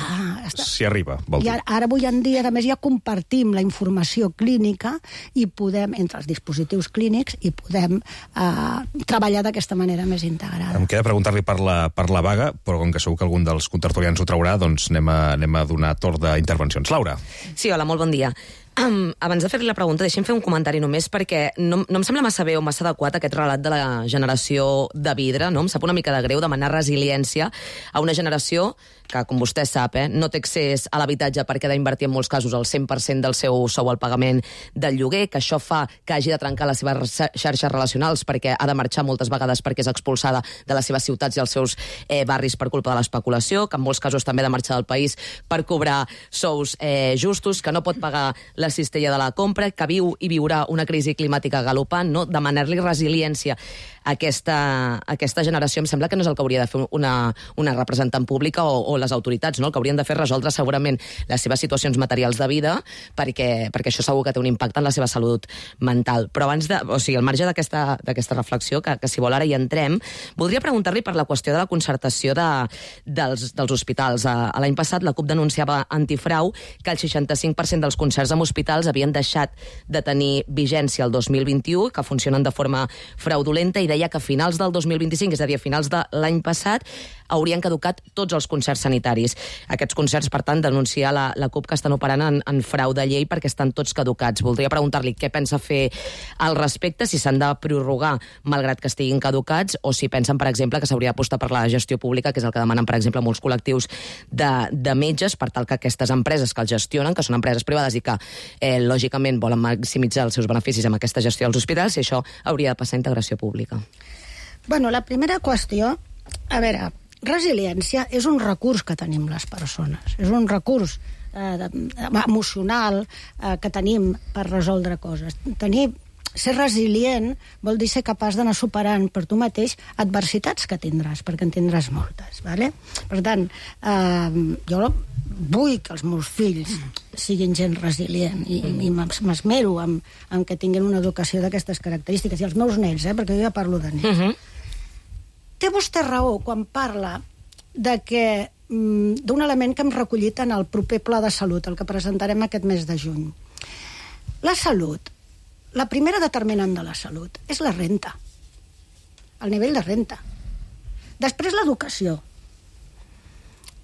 s'hi arriba, vol dir. Ara, avui en dia, a més, ja compartim la informació clínica i podem, entre els dispositius clínics, i podem treballar d'aquesta manera més integrada. Em queda preguntar-li per la vaga, però com que segur que algun dels contertulians ho traurà, doncs anem a donar torn d'intervencions. Laura. Sí, hola, molt bon dia. Abans de fer-li la pregunta, deixem fer un comentari només, perquè no em sembla massa bé o massa adequat aquest relat de la generació de vidre, no? Em sap una mica de greu demanar resiliència a una generació que, com vostè sap, no té accés a l'habitatge perquè ha d'invertir en molts casos el 100% del seu sou al pagament del lloguer, que això fa que hagi de trencar les seves xarxes relacionals perquè ha de marxar moltes vegades perquè és expulsada de les seves ciutats i els seus barris per culpa de l'especulació, que en molts casos també ha de marxar del país per cobrar sous justos, que no pot pagar les la cistella de la compra, que viu i viurà una crisi climàtica galopant, no? Demanar-li resiliència a aquesta generació em sembla que no és el que hauria de fer una representant pública o les autoritats, no? El que haurien de fer és resoldre segurament les seves situacions materials de vida, perquè això segur que té un impacte en la seva salut mental. Però abans al marge d'aquesta reflexió, que si vol ara hi entrem, voldria preguntar-li per la qüestió de la concertació dels hospitals. L'any passat la CUP denunciava Antifrau que el 65% dels concerts amb hospitals havien deixat de tenir vigència el 2021, que funcionen de forma fraudulenta, i deia que a finals del 2025, és a dir, a finals de l'any passat, haurien caducat tots els concerts sanitaris. Aquests concerts, per tant, denuncia la CUP que estan operant en frau de llei perquè estan tots caducats. Voldria preguntar-li què pensa fer al respecte, si s'han de prorrogar malgrat que estiguin caducats, o si pensen, per exemple, que s'hauria d'apostar per la gestió pública, que és el que demanen, per exemple, molts col·lectius de metges, per tal que aquestes empreses que els gestionen, que són empreses privades i que, lògicament, volen maximitzar els seus beneficis amb aquesta gestió dels hospitals, si això hauria de passar a integració pública. Bueno, la primera qüestió, a veure, resiliència és un recurs que tenim les persones, és un recurs emocional que tenim per resoldre coses. Ser resilient vol dir ser capaç d'anar superant per tu mateix adversitats que tindràs, perquè en tindràs moltes. ¿vale? Per tant, jo vull que els meus fills siguin gent resilient i m'esmero en que tinguin una educació d'aquestes característiques. I els meus nets, perquè jo ja parlo de nets. Té vostè raó quan parla d'un element que hem recollit en el proper pla de salut, el que presentarem aquest mes de juny. La salut, la primera determinant de la salut és la renta, el nivell de renta. Després l'educació.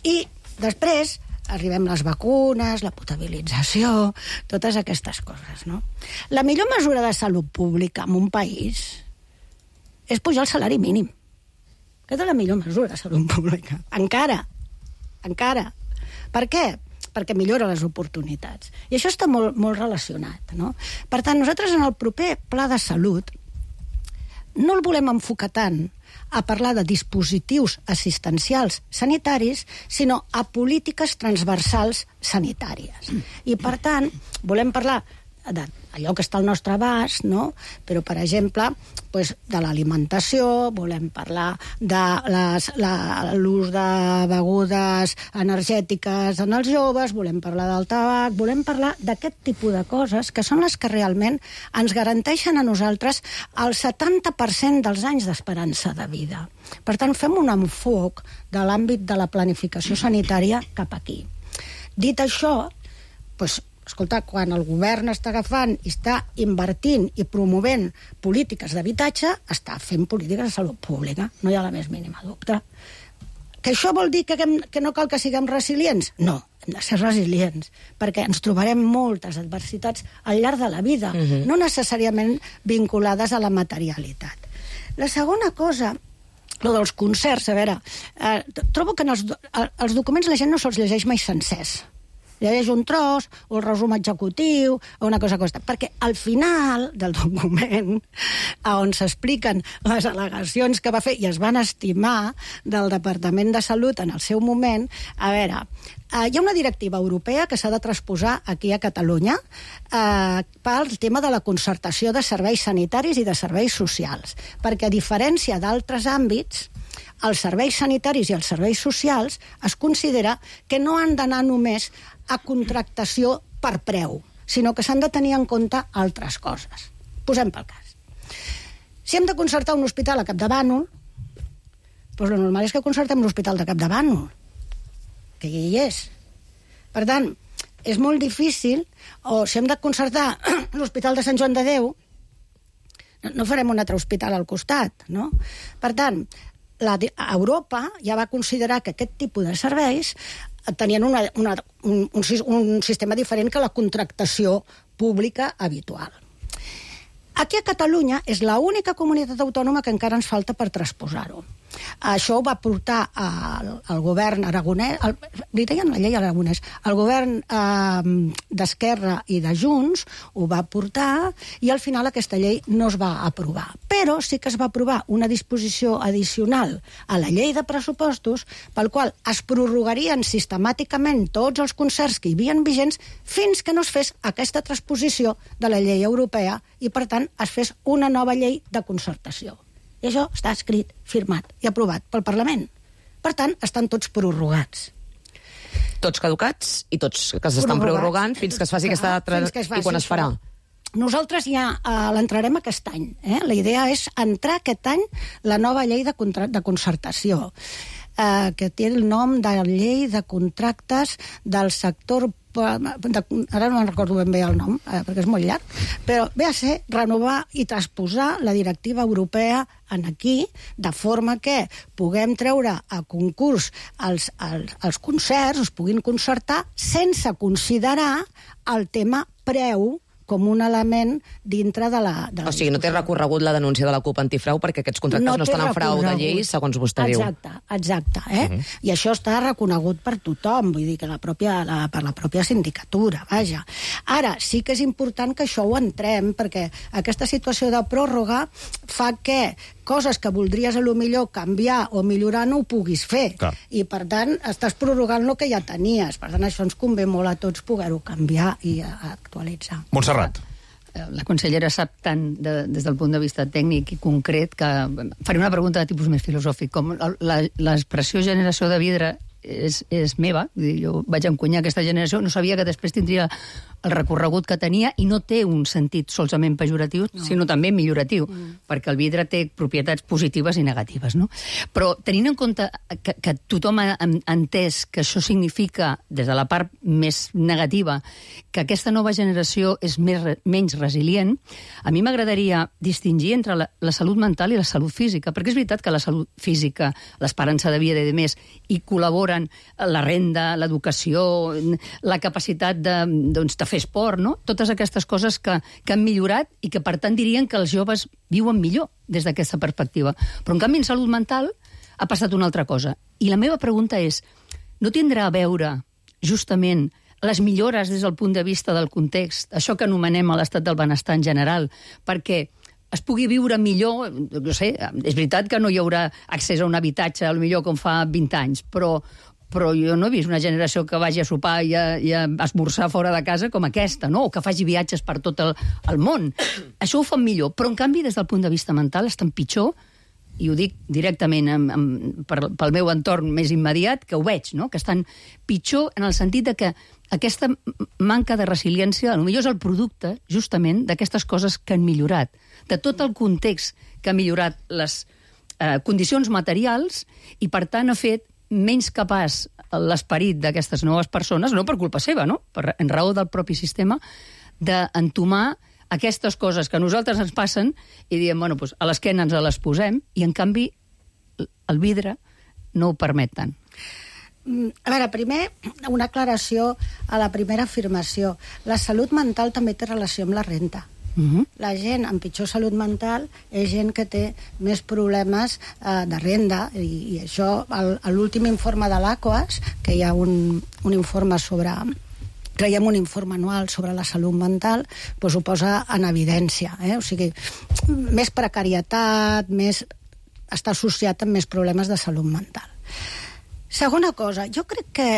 I després arribem les vacunes, la potabilització, totes aquestes coses, no? La millor mesura de salut pública en un país és pujar el salari mínim. Aquesta és la millor mesura de salut pública. Encara. Per què? Perquè millora les oportunitats. I això està molt, molt relacionat, no? Per tant, nosaltres en el proper pla de salut no el volem enfocar tant a parlar de dispositius assistencials sanitaris, sinó a polítiques transversals sanitàries. I, per tant, volem parlar d'allò que està al nostre abast, no? Però, per exemple, de l'alimentació, volem parlar de l'ús de begudes energètiques en els joves, volem parlar del tabac, volem parlar d'aquest tipus de coses que són les que realment ens garanteixen a nosaltres el 70% dels anys d'esperança de vida. Per tant, fem un enfoc de l'àmbit de la planificació sanitària cap aquí. Dit això, escolta, quan el govern està agafant i està invertint i promovent polítiques d'habitatge, està fent polítiques de salut pública. No hi ha la més mínima dubte. Que això vol dir que no cal que siguem resilients? No, hem de ser resilients, perquè ens trobarem moltes adversitats al llarg de la vida, no necessàriament vinculades a la materialitat. La segona cosa, lo dels concerts, a veure, trobo que en els documents la gent no se'ls llegeix mai sencers. Llegeix un tros, o el resum executiu, o una cosa aquesta. Perquè al final del document, on s'expliquen les al·legacions que va fer i es van estimar del Departament de Salut en el seu moment, a veure, hi ha una directiva europea que s'ha de transposar aquí a Catalunya pel tema de la concertació de serveis sanitaris i de serveis socials. Perquè, a diferència d'altres àmbits, els serveis sanitaris i els serveis socials es considera que no han d'anar només a contractació per preu, sinó que s'han de tenir en compte altres coses. Posem pel cas. Si hem de concertar un hospital a Capdavànol, doncs el normal és que concertem l'hospital de Capdavànol, que ja hi és. Per tant, és molt difícil, o si hem de concertar l'hospital de Sant Joan de Déu, no farem un altre hospital al costat, no? Per tant, Europa ja va considerar que aquest tipus de serveis tenien un sistema diferent que la contractació pública habitual. Aquí a Catalunya és l'única comunitat autònoma que encara ens falta per transposar-ho. Això ho va portar al govern aragonès, li deien la llei aragonès, el govern d'Esquerra i de Junts ho va portar i al final aquesta llei no es va aprovar. Però sí que es va aprovar una disposició addicional a la llei de pressupostos pel qual es prorrogarien sistemàticament tots els concerts que hi havia vigents fins que no es fes aquesta transposició de la llei europea i, per tant, es fes una nova llei de concertació. I això està escrit, firmat i aprovat pel Parlament. Per tant, estan tots prorrogats. Tots caducats i tots que s'estan prorrogant fins que es faci aquesta altra... I quan es farà? Nosaltres ja l'entrarem aquest any. La idea és entrar aquest any la nova llei de concertació, que té el nom de llei de contractes del sector... Ara no me'n recordo ben bé el nom, perquè és molt llarg, però ve a ser renovar i transposar la directiva europea en aquí, de forma que puguem treure a concurs els concerts, es puguin concertar sense considerar el tema preu com un element dintre de la... O sigui, no té recorregut la denúncia de la CUP antifrau perquè aquests contractes no estan en frau de llei, segons vostè diu. Exacte. I això està reconegut per tothom, vull dir que per la pròpia sindicatura, vaja. Ara, sí que és important que això ho entrem, perquè aquesta situació de pròrroga fa que coses que voldries a lo millor canviar o millorar no ho puguis fer. Clar. I, per tant, estàs prorrogant el que ja tenies. Per tant, això ens convé molt a tots poder-ho canviar i actualitzar. Montserrat. La consellera sap tant des del punt de vista tècnic i concret que faré una pregunta de tipus més filosòfic. Com l'expressió generació de vidre és meva, jo vaig encunyar aquesta generació, no sabia que després tindria el recorregut que tenia i no té un sentit solament pejoratiu, sinó també milloratiu, perquè el vidre té propietats positives i negatives, no? Però tenint en compte que tothom ha entès que això significa, des de la part més negativa, que aquesta nova generació és menys resilient, a mi m'agradaria distingir entre la salut mental i la salut física, perquè és veritat que la salut física, l'esperança de vida i de més, hi col·laboren la renda, l'educació, la capacitat de fer esport, no? Totes aquestes coses que han millorat i que, per tant, dirien que els joves viuen millor des d'aquesta perspectiva. Però, en canvi, en salut mental ha passat una altra cosa. I la meva pregunta és, no tindrà a veure, justament, les millores des del punt de vista del context, això que anomenem l'estat del benestar en general, perquè es pugui viure millor, no sé, és veritat que no hi haurà accés a un habitatge, potser com fa 20 anys, però jo no he vist una generació que vagi a sopar i a esmorzar fora de casa com aquesta, no? O que faci viatges per tot el món. Això ho fan millor, però en canvi des del punt de vista mental estan pitjor, i ho dic directament pel meu entorn més immediat, que ho veig, no? Que estan pitjor en el sentit de que aquesta manca de resiliència potser és el producte, justament, d'aquestes coses que han millorat, de tot el context que ha millorat les condicions materials i, per tant, ha fet menys capaç l'esperit d'aquestes noves persones, no per culpa seva, no? En raó del propi sistema, d'entomar aquestes coses que a nosaltres ens passen i diem, bueno, doncs a l'esquena ens les posem i, en canvi, el vidre no ho permet tant. A veure, primer, una aclaració a la primera afirmació. La salut mental també té relació amb la renta. La gent amb pitjor salut mental és gent que té més problemes de renda i això, l'últim informe de l'ACOAS, que hi ha un informe sobre... creiem un informe anual sobre la salut mental, doncs ho posa en evidència. O sigui, més precarietat, està associat amb més problemes de salut mental. Segona cosa, jo crec que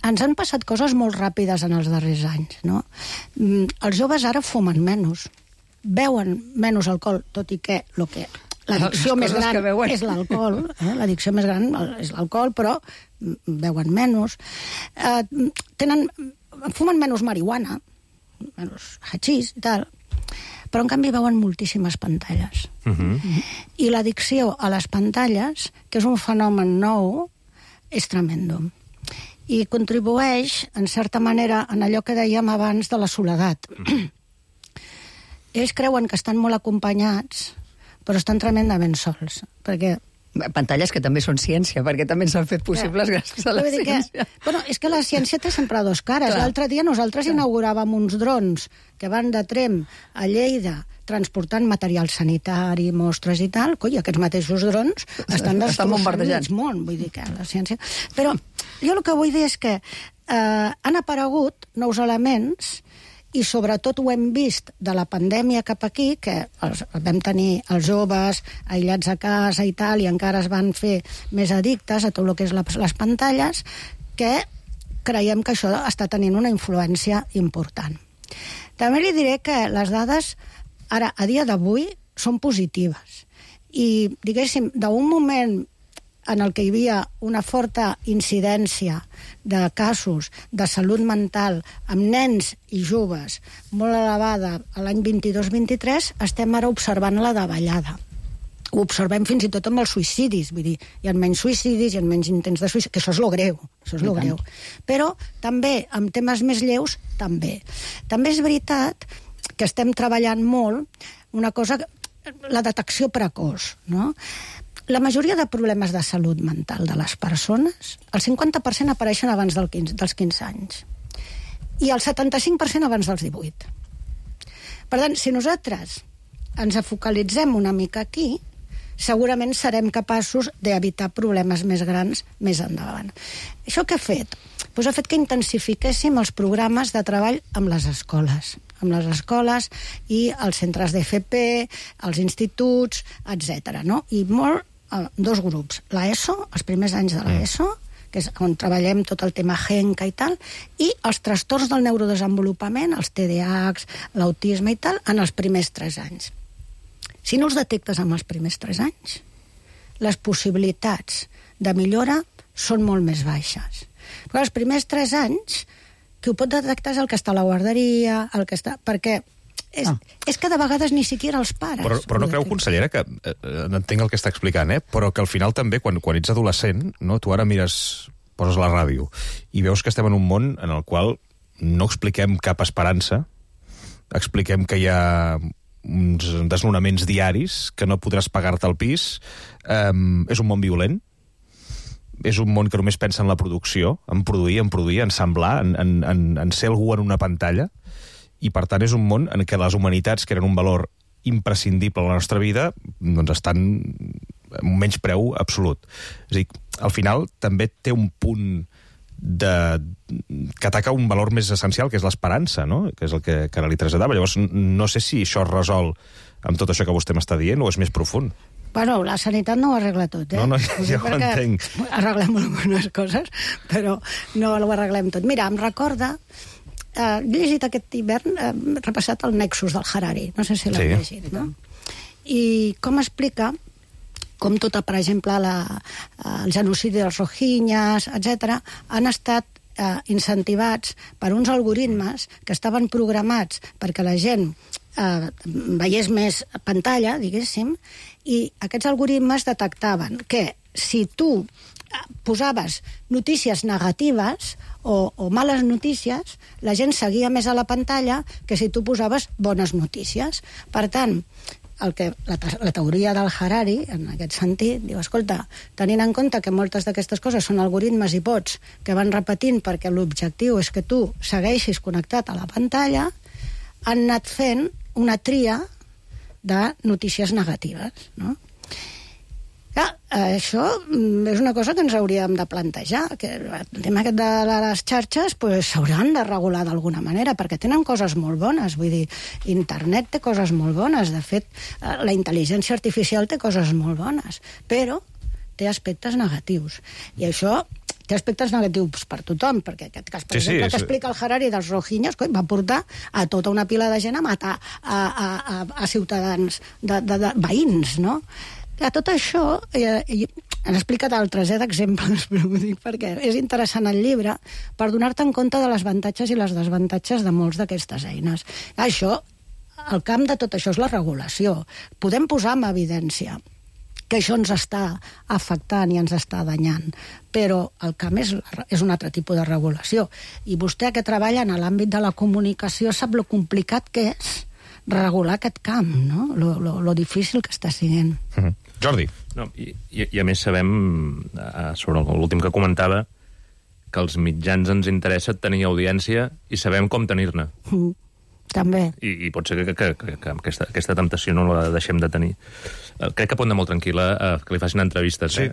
ens han passat coses molt ràpides en els darrers anys, no? Els joves ara fumen menys, beuen menys alcohol, tot i que l'addicció més gran és l'alcohol, l'addicció més gran és l'alcohol, però beuen menys. Fumen menys marihuana, menys hachís i tal, però en canvi veuen moltíssimes pantalles. I l'addicció a les pantalles, que és un fenomen nou, és tremendo. I contribueix, en certa manera, en allò que dèiem abans de la soledat. Ells creuen que estan molt acompanyats, però estan tremendament sols, perquè Pantalles que també són ciència, perquè també s'han fet possibles gràcies a la ciència. És que la ciència té sempre dos cares. L'altre dia nosaltres inauguràvem uns drons que van de Tremp a Lleida transportant material sanitari, mostres i tal. Coi, aquests mateixos drons estan bombardejant món, vull dir que la ciència... Però jo el que vull dir és que han aparegut nous elements i sobretot ho hem vist de la pandèmia cap aquí, que vam tenir els joves aïllats a casa i tal, i encara es van fer més addictes a tot el que és les pantalles, que creiem que això està tenint una influència important. També li diré que les dades, ara, a dia d'avui, són positives. I, diguéssim, d'un moment en el que hi havia una forta incidència de casos de salut mental amb nens i joves molt elevada a l'any 22-23, estem ara observant la davallada. Ho observem fins i tot amb els suïcidis, vull dir, hi ha menys suïcidis, hi ha menys intents de suïcidi, que això és lo greu, Però també, amb temes més lleus, també. També és veritat que estem treballant molt una cosa, la detecció precoç, no? La majoria de problemes de salut mental de les persones, el 50% apareixen abans dels 15 anys i el 75% abans dels 18. Per tant, si nosaltres ens focalitzem una mica aquí, segurament serem capaços d'evitar problemes més grans més endavant. Això què ha fet? Doncs ha fet que intensifiquéssim els programes de treball amb les escoles i els centres d'FP, els instituts, etc. No? I dos grups, l'ESO, els primers anys de l'ESO, que és on treballem tot el tema GENCA i tal, i els trastorns del neurodesenvolupament, els TDAHs, l'autisme i tal, en els primers 3 anys. Si no els detectes en els primers 3 anys, les possibilitats de millora són molt més baixes. Però els primers 3 anys, qui ho pot detectar és el que està a la guarderia, perquè és que de vegades ni siquiera els pares. Però no creu, consellera, que entenc el que està explicant, però que al final també, quan ets adolescent, no, tu ara mires, poses la ràdio, i veus que estem en un món en el qual no expliquem cap esperança, expliquem que hi ha uns desnonaments diaris, que no podràs pagar-te el pis, és un món violent, és un món que només pensa en la producció, en produir, en ensamblar, en ser algú en una pantalla, i per tant és un món en què les humanitats, que eren un valor imprescindible a la nostra vida, doncs estan en un menyspreu absolut. És a dir, al final també té un punt que ataca un valor més essencial, que és l'esperança, no? Que és el que ara li traslladava. Llavors, no sé si això es resol amb tot això que vostè m'està dient o és més profund. Bueno, la sanitat no ho arregla tot, No, ja ho entenc. Arreglem algunes coses, però no ho arreglem tot. Mira, em recorda... he llegit aquest hivern, he repassat el Nexus del Harari, no sé si l'heu llegit, no? I com explica com tota, per exemple, el genocidi dels rohingyes, etc., han estat incentivats per uns algoritmes que estaven programats perquè la gent veiés més pantalla, diguéssim, i aquests algoritmes detectaven que si tu posaves notícies negatives o males notícies, la gent seguia més a la pantalla que si tu posaves bones notícies. Per tant, la teoria del Harari, en aquest sentit, diu, escolta, tenint en compte que moltes d'aquestes coses són algoritmes i bots que van repetint perquè l'objectiu és que tu segueixis connectat a la pantalla, han anat fent una tria de notícies negatives, no? Clar, això és una cosa que ens hauríem de plantejar, que el tema aquest de les xarxes s'hauran de regular d'alguna manera, perquè tenen coses molt bones, vull dir, internet té coses molt bones, de fet, la intel·ligència artificial té coses molt bones, però té aspectes negatius, i això té aspectes negatius per tothom, perquè aquest cas, per exemple, que explica el Harari dels rohingyes, va portar a tota una pila de gent a matar a ciutadans, de veïns, no? A tot això, han explicat altres d'exemples, però ho dic perquè és interessant el llibre per donar-te en compte de les avantatges i les desavantatges de molts d'aquestes eines. Això, el camp de tot això és la regulació. Podem posar en evidència que això ens està afectant i ens està danyant, però el camp és un altre tipus de regulació. I vostè, que treballa en l'àmbit de la comunicació, sap lo complicat que és regular aquest camp, no? Lo difícil que està sent. Jordi. No, I a més sabem, sobre l'últim que comentava, que als mitjans ens interessa tenir audiència i sabem com tenir-ne. També. I pot ser que aquesta temptació no la deixem de tenir. Crec que pot anar molt tranquil·la que li facin entrevistes. Sí.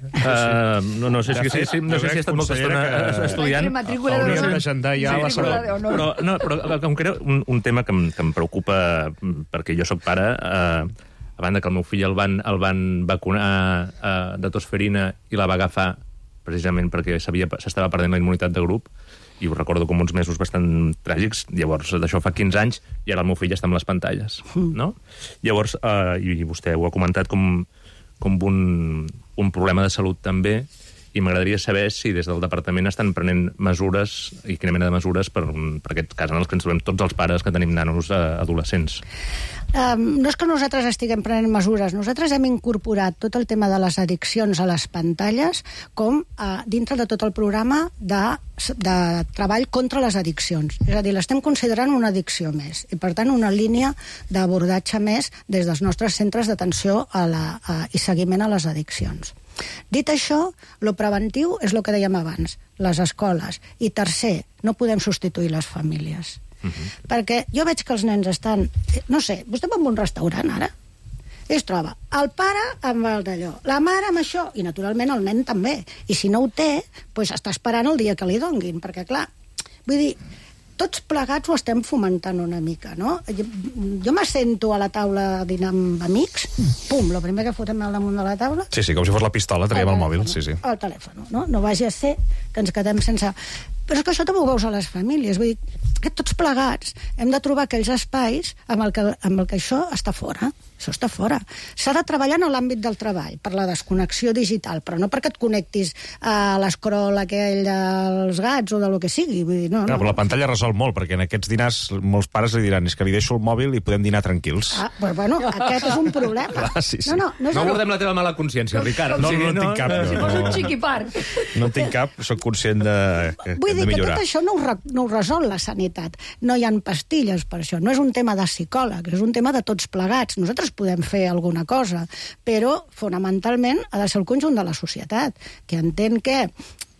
No sé si ha estat molta estona estudiant. Hauríem d'agendar ja la segona. Però com que era un tema que em preocupa, perquè jo sóc pare, a banda que el meu fill el van vacunar de tosferina i la va agafar precisament perquè s'estava perdent la immunitat de grup, i ho recordo com uns mesos bastant tràgics. Llavors, d'això fa 15 anys, i ara el meu fill està amb les pantalles, no? Llavors, i vostè ho ha comentat com un problema de salut també, i m'agradaria saber si des del departament estan prenent mesures, i quina mena de mesures, per aquest cas en els que ens trobem tots els pares que tenim nanos adolescents. No és que nosaltres estiguem prenent mesures, nosaltres hem incorporat tot el tema de les addiccions a les pantalles com dintre de tot el programa de treball contra les addiccions. És a dir, l'estem considerant una addicció més, i per tant una línia d'abordatge més des dels nostres centres d'atenció i seguiment a les addiccions. Dit això, lo preventiu és el que dèiem abans, les escoles. I tercer, no podem substituir les famílies. Perquè jo veig que els nens estan... No sé, vostè va a un restaurant ara i es troba el pare amb el d'allò, la mare amb això, i naturalment el nen també. I si no ho té, doncs està esperant el dia que li donguin, perquè clar, vull dir, tots plegats ho estem fomentant una mica, no? Jo m'assento a la taula a dinar amb amics, pum, el primer que fotem al damunt de la taula... Sí, com si fos la pistola, traiem el mòbil, sí. El telèfon, no? No vagi a ser que ens quedem sense... Però és que això també ho veus a les famílies, vull dir, que tots plegats hem de trobar aquells espais amb el que això està fora. Això està fora. S'ha de treballar en l'àmbit del treball, per la desconnexió digital, però no perquè et connectis a l'escrol aquell dels gats o de lo que sigui. Vull dir, no. Però la pantalla resol molt, perquè en aquests dinars molts pares li diran és que li deixo el mòbil i podem dinar tranquils. Però bueno, aquest és un problema. Clar, sí. No abordem la teva mala consciència, Ricard. No en tinc cap. Si fos un xiquipart. No en tinc cap, soc conscient de vull dir que tot això no ho resol la sanitat. No hi ha pastilles per això. No és un tema de psicòleg, és un tema de tots plegats. Nosaltres podem fer alguna cosa, però fonamentalment ha de ser el conjunt de la societat, que entén que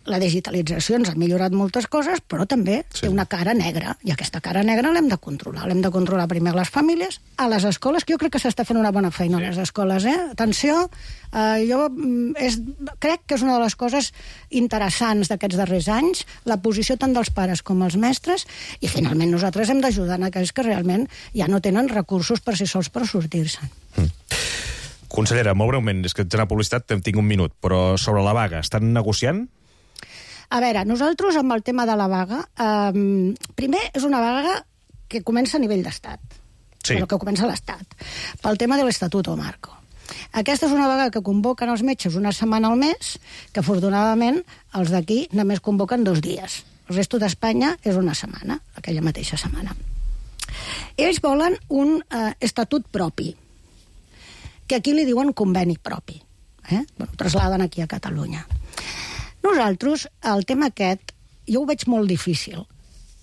la digitalització ens ha millorat moltes coses, però també té una cara negra, i aquesta cara negra l'hem de controlar. L'hem de controlar primer a les famílies, a les escoles, que jo crec que s'està fent una bona feina a les escoles, Atenció, jo crec que és una de les coses interessants d'aquests darrers anys, la posició tant dels pares com els mestres, i finalment nosaltres hem d'ajudar en aquells que realment ja no tenen recursos per si sols per sortir-se'n. Consellera, molt breument, és que ets a publicitat, tinc un minut, però sobre la vaga, estan negociant? A veure, nosaltres amb el tema de la vaga, primer és una vaga que comença a nivell d'estat, però que comença a l'Estat, pel tema de l'Estatuto Marco. Aquesta és una vaga que convoquen els metges una setmana al mes, que afortunadament els d'aquí només convoquen 2 dies. El resto d'Espanya és una setmana, aquella mateixa setmana. Ells volen un estatut propi, que aquí li diuen conveni propi. Trasladen aquí a Catalunya. Nosaltres, el tema aquest, jo ho veig molt difícil,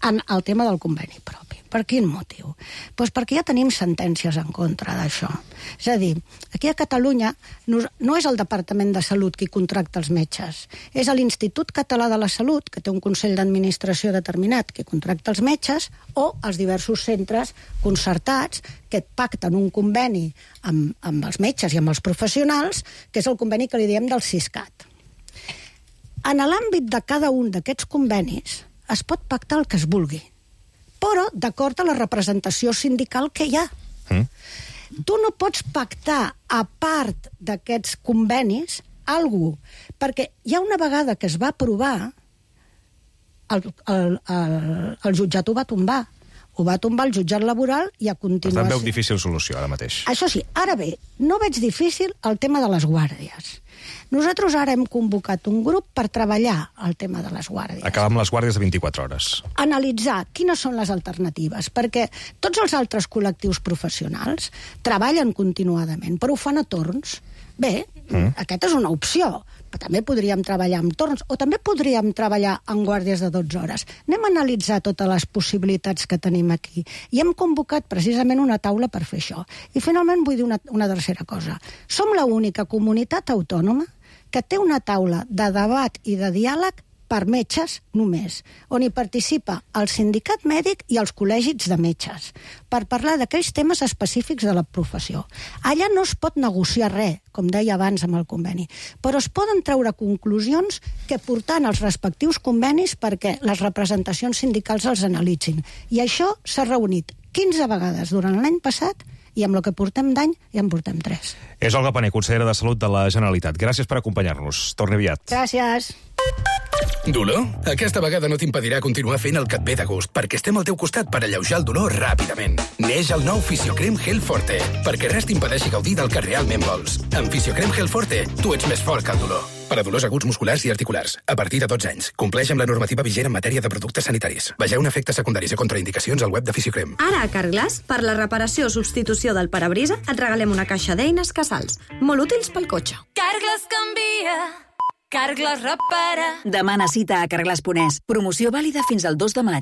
en el tema del conveni propi. Per quin motiu? Doncs perquè ja tenim sentències en contra d'això. És a dir, aquí a Catalunya no és el Departament de Salut qui contracta els metges, és l'Institut Català de la Salut, que té un Consell d'Administració determinat, que contracta els metges, o els diversos centres concertats que pacten un conveni amb els metges i amb els professionals, que és el conveni que li diem del Siscat. En l'àmbit de cada un d'aquests convenis es pot pactar el que es vulgui, però d'acord a la representació sindical que hi ha. Tu no pots pactar a part d'aquests convenis algú, perquè ja una vegada que es va aprovar, el jutjat ho va tombar. Ho va tombar el jutjat laboral i a continuació... Per tant, veu difícil solució ara mateix. Això sí, ara bé, no veig difícil el tema de les guàrdies. Nosaltres ara hem convocat un grup per treballar el tema de les guàrdies. Acabar amb les guàrdies de 24 hores. Analitzar quines són les alternatives, perquè tots els altres col·lectius professionals treballen continuadament, però ho fan a torns. Bé, aquesta és una opció, també podríem treballar amb torns, o també podríem treballar en guàrdies de 12 hores. Anem a analitzar totes les possibilitats que tenim aquí. I hem convocat precisament una taula per fer això. I finalment vull dir una tercera cosa. Som l'única comunitat autònoma que té una taula de debat i de diàleg per metges només, on hi participa el sindicat mèdic i els col·legis de metges, per parlar d'aquells temes específics de la professió. Allà no es pot negociar res, com deia abans amb el conveni, però es poden treure conclusions que portant els respectius convenis perquè les representacions sindicals els analitzin. I això s'ha reunit 15 vegades durant l'any passat i amb el que portem d'any ja en portem 3. És Olga Pané, consellera de Salut de la Generalitat. Gràcies per acompanyar-nos. Torni aviat. Gràcies. Dolor? Aquesta vegada no t'impedirà continuar fent el que et ve de gust, perquè estem al teu costat per alleujar el dolor ràpidament. Neix el nou Fisiocrem Gel Forte, perquè res t'impedeixi gaudir del que realment vols. Amb Fisiocrem Gel Forte, tu ets més fort que el dolor. Per a dolors aguts musculars i articulars, a partir de 12 anys. Compleix amb la normativa vigent en matèria de productes sanitaris. Vegeu efectes secundaris i contraindicacions al web de Fisiocrem. Ara a Carglass, per la reparació o substitució del parabrisa, et regalem una caixa d'eines Casals, molt útils pel cotxe. Carglass canvia, Carglass repara. Demana cita a Carglass.es. Promoció vàlida fins al 2 de maig.